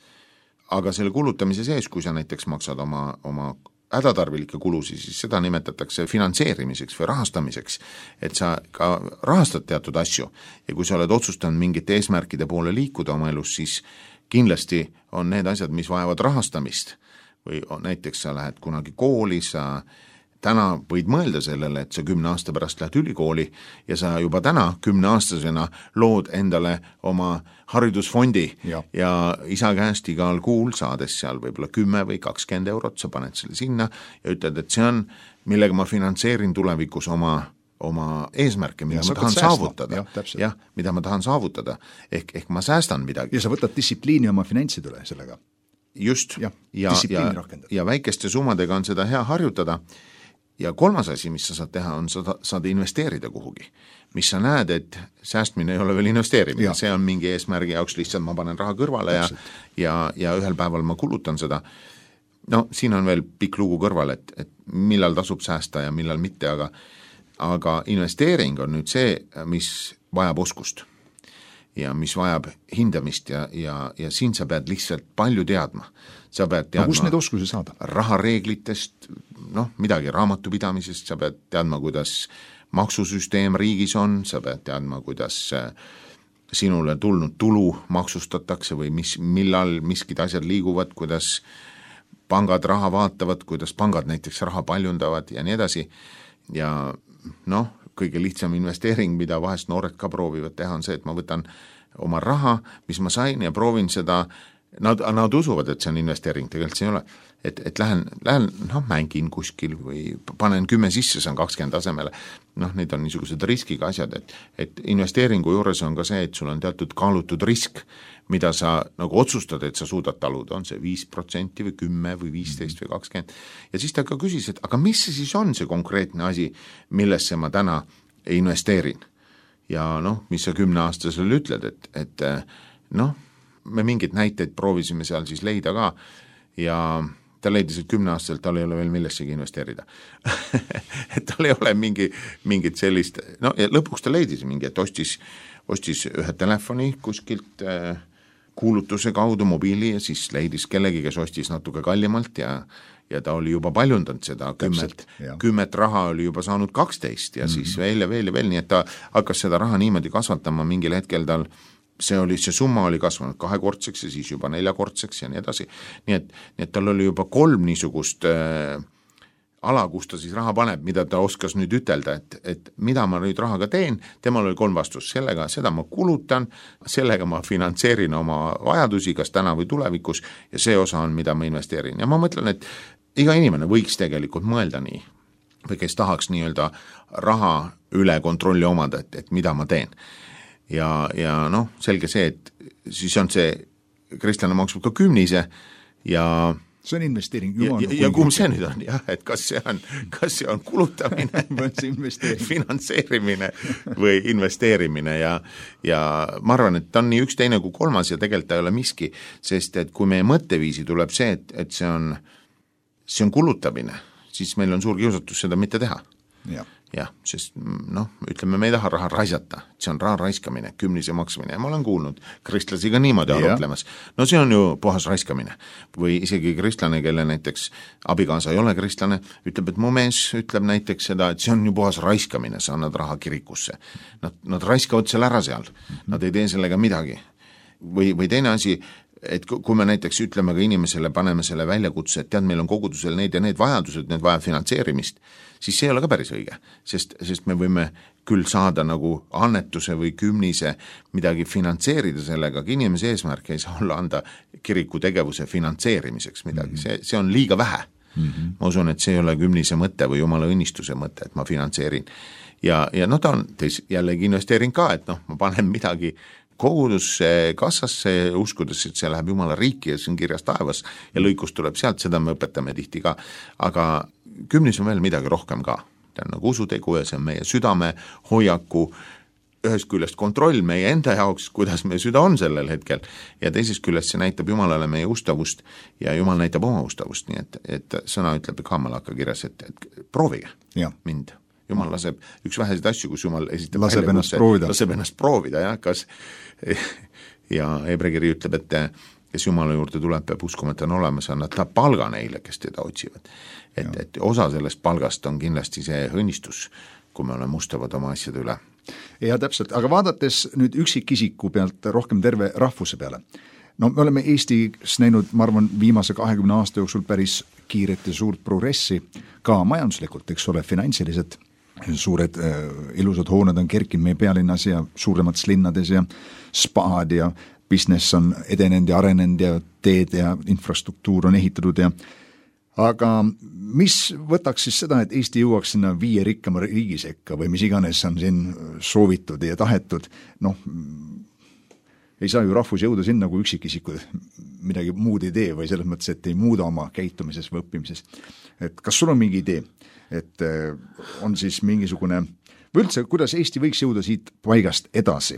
Aga selle kulutamise sees, kui sa näiteks maksad oma, oma hädatarvilikke kulusi, siis seda nimetatakse finantseerimiseks või rahastamiseks, et sa ka rahastad teatud asju ja kui sa oled otsustanud mingite eesmärkide poole liikuda oma elus, siis kindlasti on need asjad, mis vajavad rahastamist või näiteks sa lähed kunagi kooli, sa täna võid mõelda sellele, et sa kümne aasta pärast lähed ülikooli ja sa juba täna kümneaastasena lood endale oma haridusfondi ja, ja isa käest igal kuul saades seal võib-olla kümme või kakskümmend eurot, sa paned selle sinna ja ütled, et see on, millega ma finantseerin tulevikus oma, oma eesmärke, mida ja, ma tahan säästma. Saavutada. Jah, jah, mida ma tahan saavutada. Ehk, ehk ma säästan midagi. Ja sa võtad distsipliini oma finantsid üle sellega. Just. Ja, ja, ja, ja väikeste summadega on seda hea harjutada. Ja kolmas asi, mis sa saad teha, on sa saad investeerida kuhugi, mis sa näed, et säästmine ei ole veel investeerimine, see on mingi eesmärgi jaoks, lihtsalt ma panen raha kõrvale ja, ja, ja ühel päeval ma kulutan seda. No siin on veel pikk lugu kõrval, et, et millal tasub säästa ja millal mitte, aga, aga investeering on nüüd see, mis vajab oskust ja mis vajab hindamist ja, ja, ja siin sa pead lihtsalt palju teadma. Sa pead teadma no, kus need oskusi saada? Rahareeglitest, noh, midagi raamatupidamisest, sa pead teadma, kuidas maksusüsteem riigis on, sa pead teadma, kuidas sinule tulnud tulu maksustatakse või mis, millal miskid asjad liiguvad, kuidas pangad raha vaatavad, kuidas pangad näiteks raha paljundavad ja nii edasi. Ja noh, kõige lihtsam investeering, mida vahest noored ka proovivad teha, on see, et ma võtan oma raha, mis ma sain ja proovin seda. Nad, nad usuvad, et see on investeering, tegelikult see ei ole, et, et lähen, lähen noh, mängin kuskil või panen kümme sisse, see on kakskümmend tasemele, noh, need on niisugused riskiga asjad, et, et investeeringu juures on ka see, et sul on teatud kaalutud risk, mida sa nagu otsustad, et sa suudad taluda, on see viis protsenti või kümme või viisteist või kakskümmend, ja siis ta ka küsis, et aga mis see siis on see konkreetne asi, millesse ma täna investeerin ja noh, mis sa kümneaastasele ütled, et, et noh, me mingid näiteid proovisime seal siis leida ka ja ta leidis, et kümneaastaselt tal ei ole veel millessegi investeerida. et tal ei ole mingi, mingit sellist, no ja lõpuks ta leidis mingi, et ostis, ostis ühe telefoni kuskilt äh, kuulutuse kaudu mobiili ja siis leidis kellegi, kes ostis natuke kallimalt ja, ja ta oli juba paljundanud seda kümmet, kümmet raha oli juba saanud kaksteist ja mm-hmm. siis veel ja veel ja veel, nii et ta hakkas seda raha niimoodi kasvatama, mingil hetkel tal see oli, see summa oli kasvanud kahekordseks ja siis juba neljakordseks ja nii edasi. Nii et, nii et tal oli juba kolm niisugust äh, ala, kus ta siis raha paneb, mida ta oskas nüüd ütelda, et, et mida ma nüüd rahaga teen, temal oli kolm vastus, sellega, seda ma kulutan, sellega ma finantseerin oma vajadusi, kas täna või tulevikus ja see osa on, mida ma investeerin. Ja ma mõtlen, et iga inimene võiks tegelikult mõelda nii, või kes tahaks nii-öelda raha üle kontrolli omada, et, et mida ma teen. Ja, ja noh, selge see, et siis on see, kristlane maksab ka kümnise ja see on investeering. Ja, ja, ja kumb see nüüd on, jah, et kas see on, kas see on kulutamine, finantseerimine või investeerimine ja, ja ma arvan, et ta on nii üks teine kui kolmas ja tegelikult ta ei ole miski, sest et kui meie mõtteviisi tuleb see, et, et see on, see on kulutamine, siis meil on suur kiusatus seda mitte teha. jah, jah, sest noh, ütleme, me ei taha raha raisata, see on raha raiskamine, kümnise maksmine ja ma olen kuulnud kristlasi ka niimoodi arutlemas. No see on ju puhas raiskamine. Või isegi kristlane, kelle näiteks abikaasa ei ole kristlane, ütleb, et mu mees ütleb näiteks seda, et see on ju puhas raiskamine, sa annad raha kirikusse. Nad, nad raiskavad seal ära seal, nad ei tee sellega midagi. Või, või teine asi, et kui me näiteks ütleme ka inimesele, paneme selle väljakutse, et tead, meil on kogudusel need ja need vajadused, need vajab finantseerimist, siis see ei ole ka päris õige, sest, sest me võime küll saada nagu annetuse või kümnise midagi finantseerida sellega, aga inimese eesmärk ei saa olla anda kiriku tegevuse finantseerimiseks midagi, mm-hmm. see, see on liiga vähe. Mm-hmm. Ma usun, et see ei ole kümnise mõte või jumala õnnistuse mõte, et ma finantseerin. Ja, ja noh, ta on teis jällegi investeering ka, et noh, ma panen midagi kogudusse, kassasse, uskudes, et see läheb jumala riiki ja see on kirjas taevas ja lõikus tuleb sealt, seda me õpetame tihti ka, aga kümnis on veel midagi rohkem ka. See on nagu usutegu ja see on meie südame hoiaku, ühest küljest kontroll meie enda jaoks, kuidas meie süda on sellel hetkel ja teisest küljest see näitab Jumalale meie ustavust ja Jumal näitab oma ustavust, nii et, et sõna ütleb ka Malaka kirjas, et, et proovige ja. mind. Jumal laseb üks väheseid asju, kus Jumal esitab laseb ennast proovida. Laseb ennast proovida, jah, kas ja Hebrekiri ütleb, et kes Jumala juurde tuleb, peab uskuma, et on olemas, annab ta palga neile, kes teda otsivad. Et, et osa sellest palgast on kindlasti see õnnistus, kui me oleme mustavad oma asjade üle. Ja täpselt, aga vaadates nüüd üksikisiku pealt rohkem terve rahvuse peale, no me oleme Eestis näinud, ma arvan, viimase kahekümne aasta jooksul päris kiiret ja suurt progressi, ka majanduslikult, eks ole, finantsilised suured äh, ilusad hooned on kerkinud meie pealinnas ja suuremates linnades ja spaad ja business on edenenud ja arenenud ja teed ja infrastruktuur on ehitatud ja aga mis võtaks siis seda, et Eesti jõuaks sinna viie rikkama riigi sekka või mis iganes on siin soovitud ja tahetud, noh, ei saa ju rahvus jõuda sinna, kui üksikisikud midagi muud ei tee või selles mõttes, et ei muuda oma käitumises või õppimises. Et kas sul on mingi idee, et on siis mingisugune, või üldse, kuidas Eesti võiks jõuda siit paigast edasi,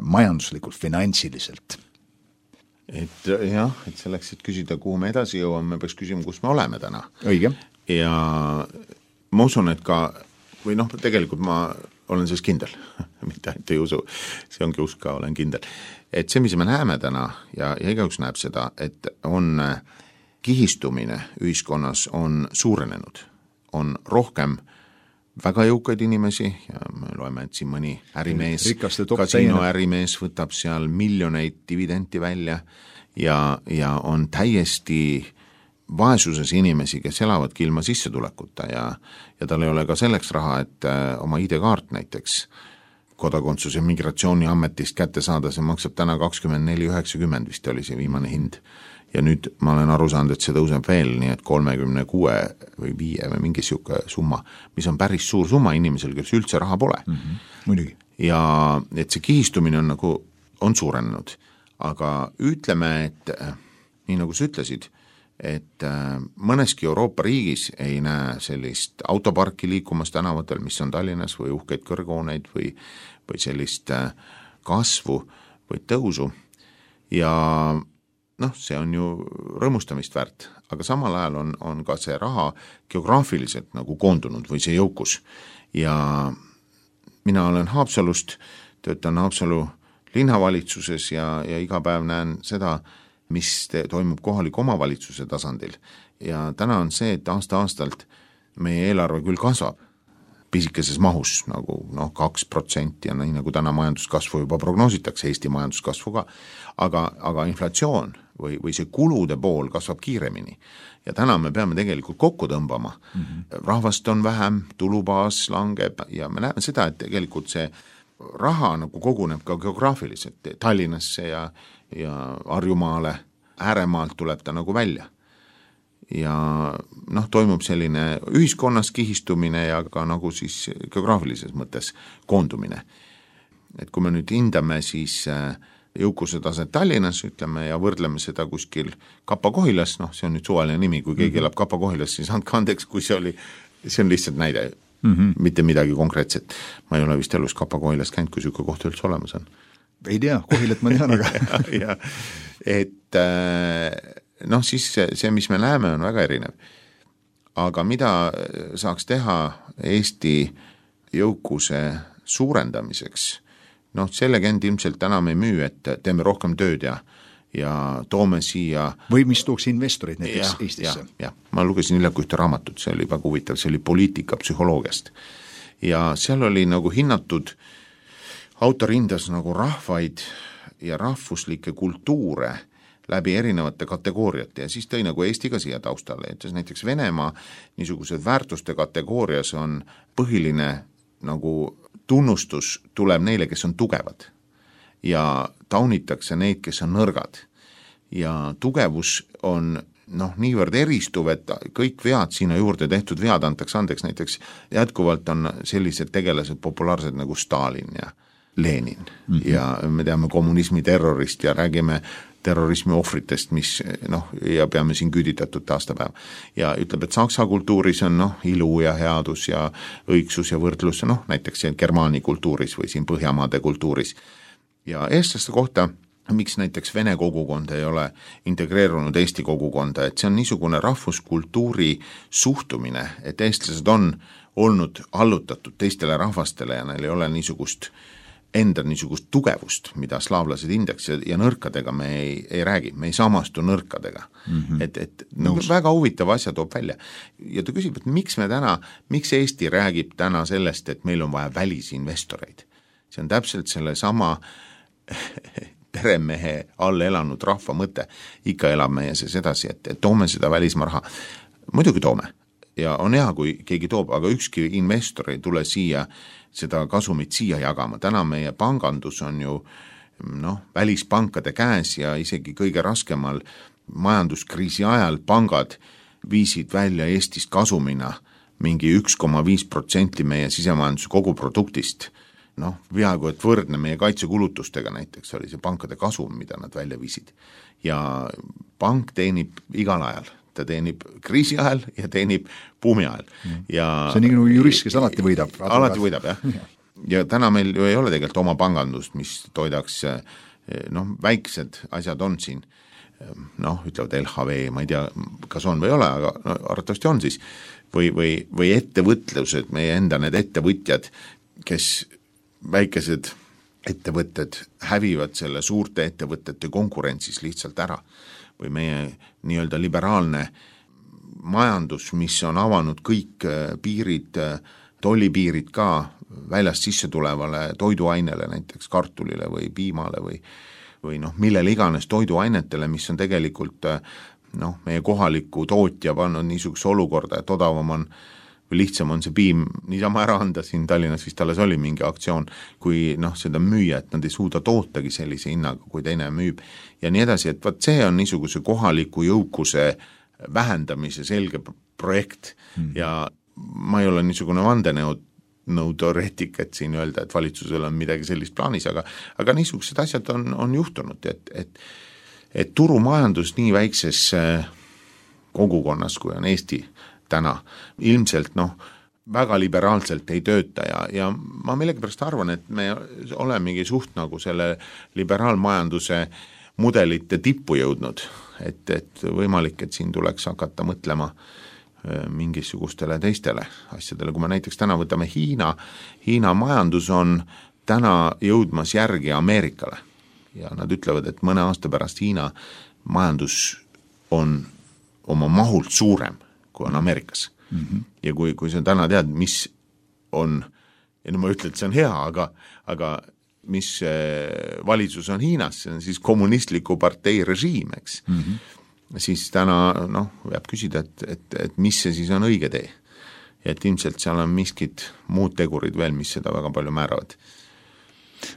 majanduslikult, finantsiliselt? Et jah, et selleks, et küsida, kuhu me edasi jõuame, me peaks küsima, kus me oleme täna. Õige. Ja ma usun, et ka, või noh, tegelikult ma olen siis kindel, mitte ainult ei usu, see ongi usk ka, olen kindel, et see, mis me näeme täna ja, ja igaüks näeb seda, et on kihistumine ühiskonnas on suurenenud, on rohkem väga jõukaid inimesi ja me loeme, et siin mõni ärimees, kasiino ärimees võtab seal miljoneid dividenti välja ja, ja on täiesti vaesuses inimesi, kes elavadki ilma sissetulekuta ja, ja tal ei ole ka selleks raha, et oma I D-kaart näiteks kodakondsuse migratsiooniametist kätte saada, see maksab täna kakskümmend neli üheksakümmend vist oli see viimane hind. Ja nüüd ma olen aru saanud, et see tõuseb veel, nii et kolmekümne kuue või viie või mingi siuke summa, mis on päris suur summa inimesel, kes üldse raha pole. Mm-hmm. Muidugi. Ja et see kihistumine on nagu, on suurenenud, aga ütleme, et nii nagu sa ütlesid, et mõneski Euroopa riigis ei näe sellist autoparki liikumas tänavatel, mis on Tallinnas või uhkeid kõrghooneid või, või sellist kasvu või tõusu ja noh, see on ju rõõmustamist väärt, aga samal ajal on, on ka see raha geograafiliselt nagu koondunud või see jõukus ja mina olen Haapsalust, töötan Haapsalu linnavalitsuses ja, ja iga päev näen seda, mis te, toimub kohaliku omavalitsuse tasandil ja täna on see, et aasta-aastalt meie eelarve küll kasvab pisikeses mahus nagu noh, kaks protsenti ja nii nagu täna majanduskasvu juba prognoositakse, Eesti majanduskasvu ka, aga, aga inflatsioon või, või see kulude pool kasvab kiiremini ja täna me peame tegelikult kokku tõmbama. Mm-hmm. Rahvast on vähem, tulubaas langeb ja me näeme seda, et tegelikult see raha nagu koguneb ka geograafiliselt Tallinnasse ja, ja Harjumaale, ääremaalt tuleb ta nagu välja. Ja noh, toimub selline ühiskonnas kihistumine ja ka nagu siis geograafilises mõttes koondumine. Et kui me nüüd hindame siis jõukuse taset Tallinnas, ütleme, ja võrdleme seda kuskil Kapa-Kohilas, noh, see on nüüd suvaline nimi, kui keegi elab Kapa-Kohilas, siis andke andeks, kui see oli, see on lihtsalt näide, mm-hmm. mitte midagi konkreetset. Ma ei ole vist elus Kapa-Kohilas käinud, kui siuke koht üldse olemas on. Ei tea, Kohilat ma tean, aga ja, ja, et noh, siis see, see, mis me näeme, on väga erinev. aga mida saaks teha Eesti jõukuse suurendamiseks? Noh, selle känd ilmselt täna me ei müü, et teeme rohkem tööd ja, ja toome siia... Või mis tooks investorid näiteks ja, Eestisse? Ja, ja. Ma lugesin hiljaku ühte raamatut, see oli väga huvitav, see oli poliitika psühholoogiast. Ja seal oli nagu hinnatud, autor hindas nagu rahvaid ja rahvuslikke kultuure läbi erinevate kategooriate ja siis tõi nagu Eesti ka siia taustale, et näiteks Venemaa niisugused väärtuste kategoorias on põhiline nagu tunnustus tuleb neile, kes on tugevad ja taunitakse neid, kes on nõrgad ja tugevus on noh, niivõrd eristuv, et kõik vead sinna juurde tehtud vead antakse andeks, näiteks jätkuvalt on sellised tegelased populaarsed nagu Stalin ja Lenin mm-hmm. ja me teame kommunismi terrorist ja räägime terrorismi ohvritest, mis noh, ja peame siin küüditatud aastapäev. Ja ütleb, et saksa kultuuris on noh, ilu ja headus ja õigsus ja võrdlus, noh, näiteks siin Germaani kultuuris või siin Põhjamaade kultuuris. Ja eestlaste kohta, miks näiteks vene kogukond ei ole integreerunud Eesti kogukonda, et see on niisugune rahvuskultuuri suhtumine, et eestlased on olnud allutatud teistele rahvastele ja neil ei ole niisugust enda niisugust tugevust, mida slaavlased hindaks ja, ja nõrkadega me ei, ei räägi, me ei samastu nõrkadega. Mm-hmm. Et, et no, väga huvitav asja toob välja. Ja ta küsib, et miks me täna, miks Eesti räägib täna sellest, et meil on vaja välisinvestoreid? See on täpselt selle sama peremehe all elanud rahva mõte. Ikka elab meie sees edasi, et, et toome seda välismaa raha. Muidugi toome. Ja on hea, kui keegi toob, aga ükski investor ei tule siia seda kasumit siia jagama. Täna meie pangandus on ju noh, välispankade käes ja isegi kõige raskemal majanduskriisi ajal pangad viisid välja Eestist kasumina mingi üks koma viis protsenti meie sisemajanduse koguproduktist. Noh, peaaegu et võrdne meie kaitsekulutustega näiteks oli see pankade kasum, mida nad välja viisid. Ja pank teenib igal ajal. Ta teenib kriisi ajal ja teenib buumi ajal. Ja see on nii nagu jurist, kes alati võidab. Alati võidab, jah. Ja täna meil ju ei ole tegelikult oma pangandust, mis toidaks, noh, väiksed asjad on siin, noh, ütlevad L H V, ma ei tea, kas on või ole, aga no, arvatavasti on siis, või, või, või ettevõtlused, meie enda need ettevõtjad, kes väikesed ettevõtted hävivad selle suurte ettevõtete konkurentsis lihtsalt ära, või meie nii-öelda liberaalne majandus, mis on avanud kõik piirid, tollipiirid ka väljast sisse tulevale toiduainele, näiteks kartulile või piimale või, või noh, millele iganes toiduainetele, mis on tegelikult noh, meie kohaliku tootja pannud niisuguse olukorda, et odavam on või lihtsam on see piim niisama ära anda, siin Tallinnas vist alles oli mingi aktsioon, kui noh, seda müüa, et nad ei suuda tootagi sellise hinnaga, kui teine müüb ja nii edasi, et vaat see on niisuguse kohaliku jõukuse vähendamise selge projekt hmm. ja ma ei ole niisugune vandenõud nõuteoreetik, et siin öelda, et valitsusel on midagi sellist plaanis, aga, aga niisugused asjad on, on juhtunud, et, et, et turumajandus nii väikses kogukonnas, kui on Eesti täna, ilmselt noh, väga liberaalselt ei tööta ja, ja ma millegipärast arvan, et me olemegi suht nagu selle liberaalmajanduse mudelite tippu jõudnud, et, et võimalik, et siin tuleks hakata mõtlema mingisugustele teistele asjadele, kui me näiteks täna võtame Hiina, Hiina majandus on täna jõudmas järgi Ameerikale ja nad ütlevad, et mõne aasta pärast Hiina majandus on oma mahult suurem, kui on Ameerikas. Mm-hmm. Ja kui, kui sa täna tead, mis on, ja no ma ütlen, et see on hea, aga, aga mis valitsus on Hiinas, see on siis kommunistliku partei režiim, eks. Mm-hmm. Siis täna, noh, peab küsida, et, et, et mis see siis on õige tee. Et ilmselt seal on miskid muud tegurid veel, mis seda väga palju määravad.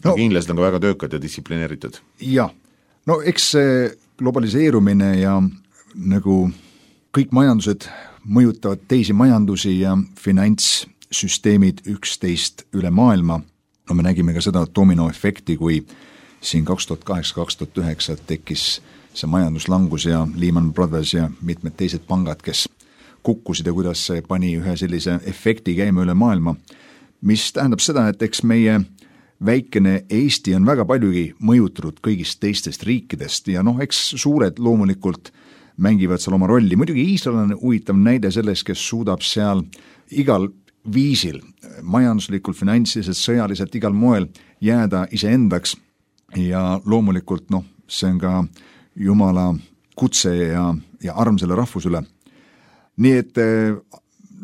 No, kindlasti on ka väga töökad ja distsiplineeritud. Jah, no eks see globaliseerumine ja nagu kõik majandused mõjutavad teisi majandusi ja finantssüsteemid üksteist üle maailma. No me nägime ka seda dominoefekti, kui siin kaks tuhat kaheksa kaks tuhat üheksa tekkis see majanduslangus ja Lehman Brothers ja mitmed teised pangad, kes kukkusid ja kuidas see pani ühe sellise efekti käima üle maailma, mis tähendab seda, et eks meie väikene Eesti on väga paljugi mõjutatud kõigist teistest riikidest ja noh, eks suured loomulikult mängivad seal oma rolli. Muidugi Iisrael on huvitav näide sellest, kes suudab seal igal viisil, majanduslikult, finantsiliselt, sõjaliselt, igal moel jääda iseendaks ja loomulikult noh, see on ka Jumala kutse ja, ja arm selle rahvusele. Nii et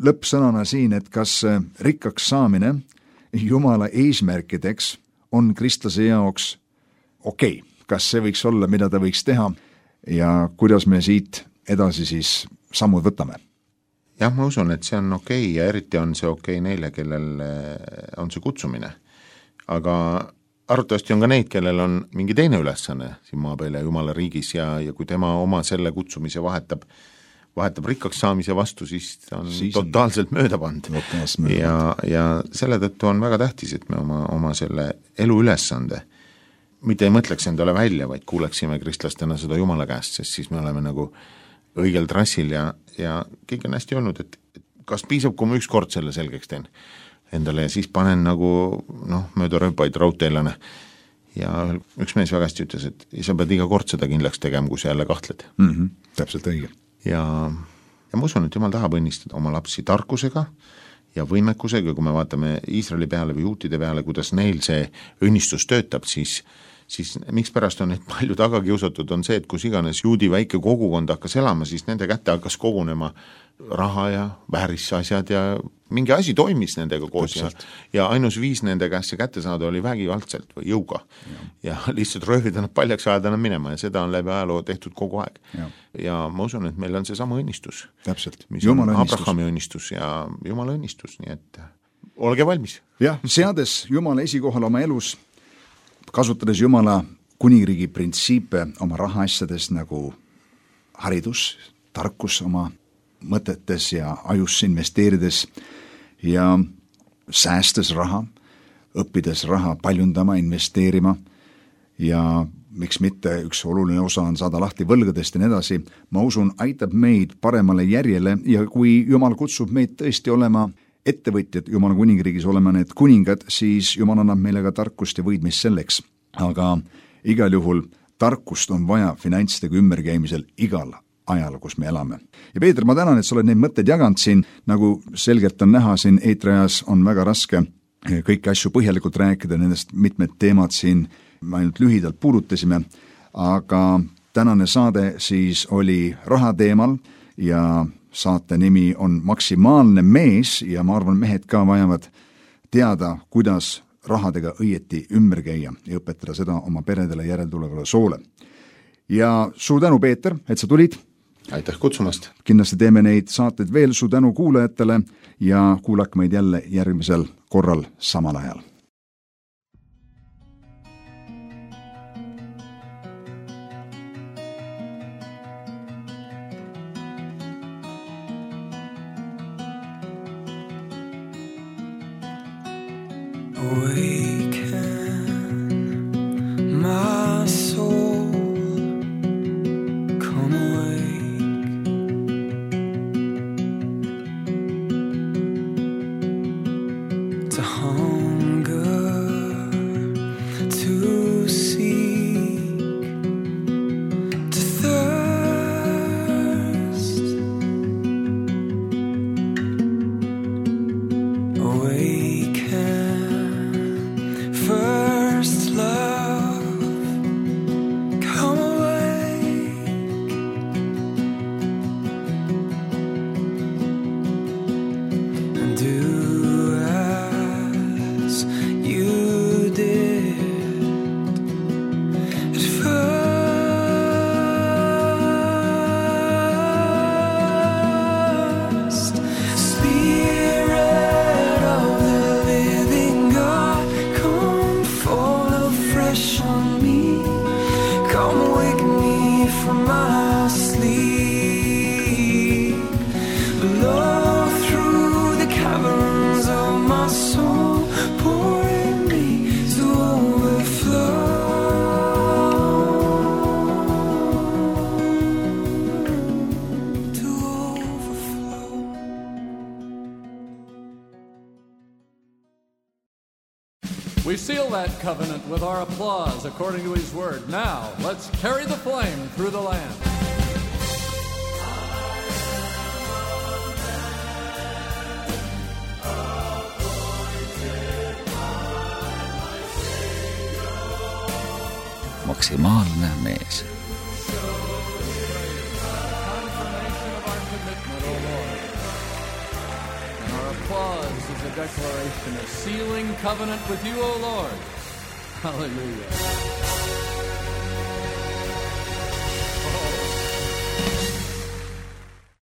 lõppsõnana siin, et kas rikkaks saamine Jumala eesmärkideks on kristlase jaoks okei, okay. Kas see võiks olla, mida ta võiks teha ja kuidas me siit edasi siis sammud võtame? Jah, ma usun, et see on okei okay ja eriti on see okei okay neile, kellel on see kutsumine. Aga arvatavasti on ka neid, kellel on mingi teine ülesanne siin maa peal ja Jumala riigis ja, ja kui tema oma selle kutsumise vahetab, vahetab rikkaks saamise vastu, siis on siis totaalselt on... mööda pand. Ja, ja selle tõttu on väga tähtis, et me oma, oma selle elu ülesande mitte ei mõtleks endale välja, vaid kuuleksime kristlastena seda Jumala käest, sest siis me oleme nagu õigel trassil ja, ja kõik on hästi olnud, et kas piisab, kui ma üks kord selle selgeks teen endale ja siis panen nagu noh, mööda rööpaid raudteelane ja üks mees väga hästi ütles, et sa pead iga kord seda kindlaks tegema, kui sa jälle kahtled. Mm-hmm. Täpselt õige. Ja, ja ma usun, et Jumal tahab õnnistada oma lapsi tarkusega ja võimekusega, kui me vaatame Iisraeli peale või juutide peale, kuidas neil see õnnistus töötab, siis siis miks pärast on neid palju taga kiusatud, on see, et kus iganes juudi väike kogukond hakkas elama, siis nende kätte hakkas kogunema raha ja väärisasjad ja mingi asi toimis nendega koos ja, ja ainus viis nende käest see kätte saada oli vägivaldselt või jõuga ja, ja lihtsalt röövida nad paljaks ajada nad minema ja seda on läbi ajaloo tehtud kogu aeg. Ja, ja ma usun, et meil on see sama õnnistus. Täpselt. Mis Jumala on õnnistus. Abrahami õnnistus ja Jumala õnnistus, nii et olge valmis. Jah, seades Jumala esikohal oma elus, kasutades Jumala kuningriigi printsiipe oma rahaasjades nagu haridus, tarkus oma mõtetes ja ajusse investeerides ja säästes raha, õppides raha paljundama, investeerima ja miks mitte üks oluline osa on saada lahti võlgadest ja nii edasi, ma usun, aitab meid paremale järjele ja kui Jumal kutsub meid tõesti olema ettevõtjad Jumala kuningriigis olema need kuningad, siis Jumal annab meile ka tarkust ja võidmist selleks. Aga igal juhul tarkust on vaja finantsidega ümberkäimisel igal ajal, kus me elame. Ja Peeter, ma tänan, et sa oled neid mõtteid jaganud siin, nagu selgelt on näha siin eetriajas on väga raske kõiki asju põhjalikult rääkida, nendest mitmed teemad siin me ainult lühidalt puudutasime, aga tänane saade siis oli raha teemal ja saate nimi on Maksimaalne mees ja ma arvan, mehed ka vajavad teada, kuidas rahadega õieti ümber käia ja õpetada seda oma peredele järeltulevale soole. Ja suur tänu, Peeter, et sa tulid. Aitäh kutsumast. Kindlasti teeme neid saateid veel, suur tänu kuulajatele ja kuulake meid jälle järgmisel korral samal ajal. Awaken my soul, come awake to hunger, to seek, to thirst. Awaken first love, come awake and do as you did at first. Spirit of the living God, come fall afresh on me, come wake me from my sleep, blow through the caverns of my soul, pour in me to overflow, to overflow. We seal that covenant with our applause according to his word. Now, let's carry the flame through the land. Maksimaalne mees. Confirmation of our commitment, O Lord. And our applause is a declaration, a sealing covenant with you, O Lord. Hallelujah.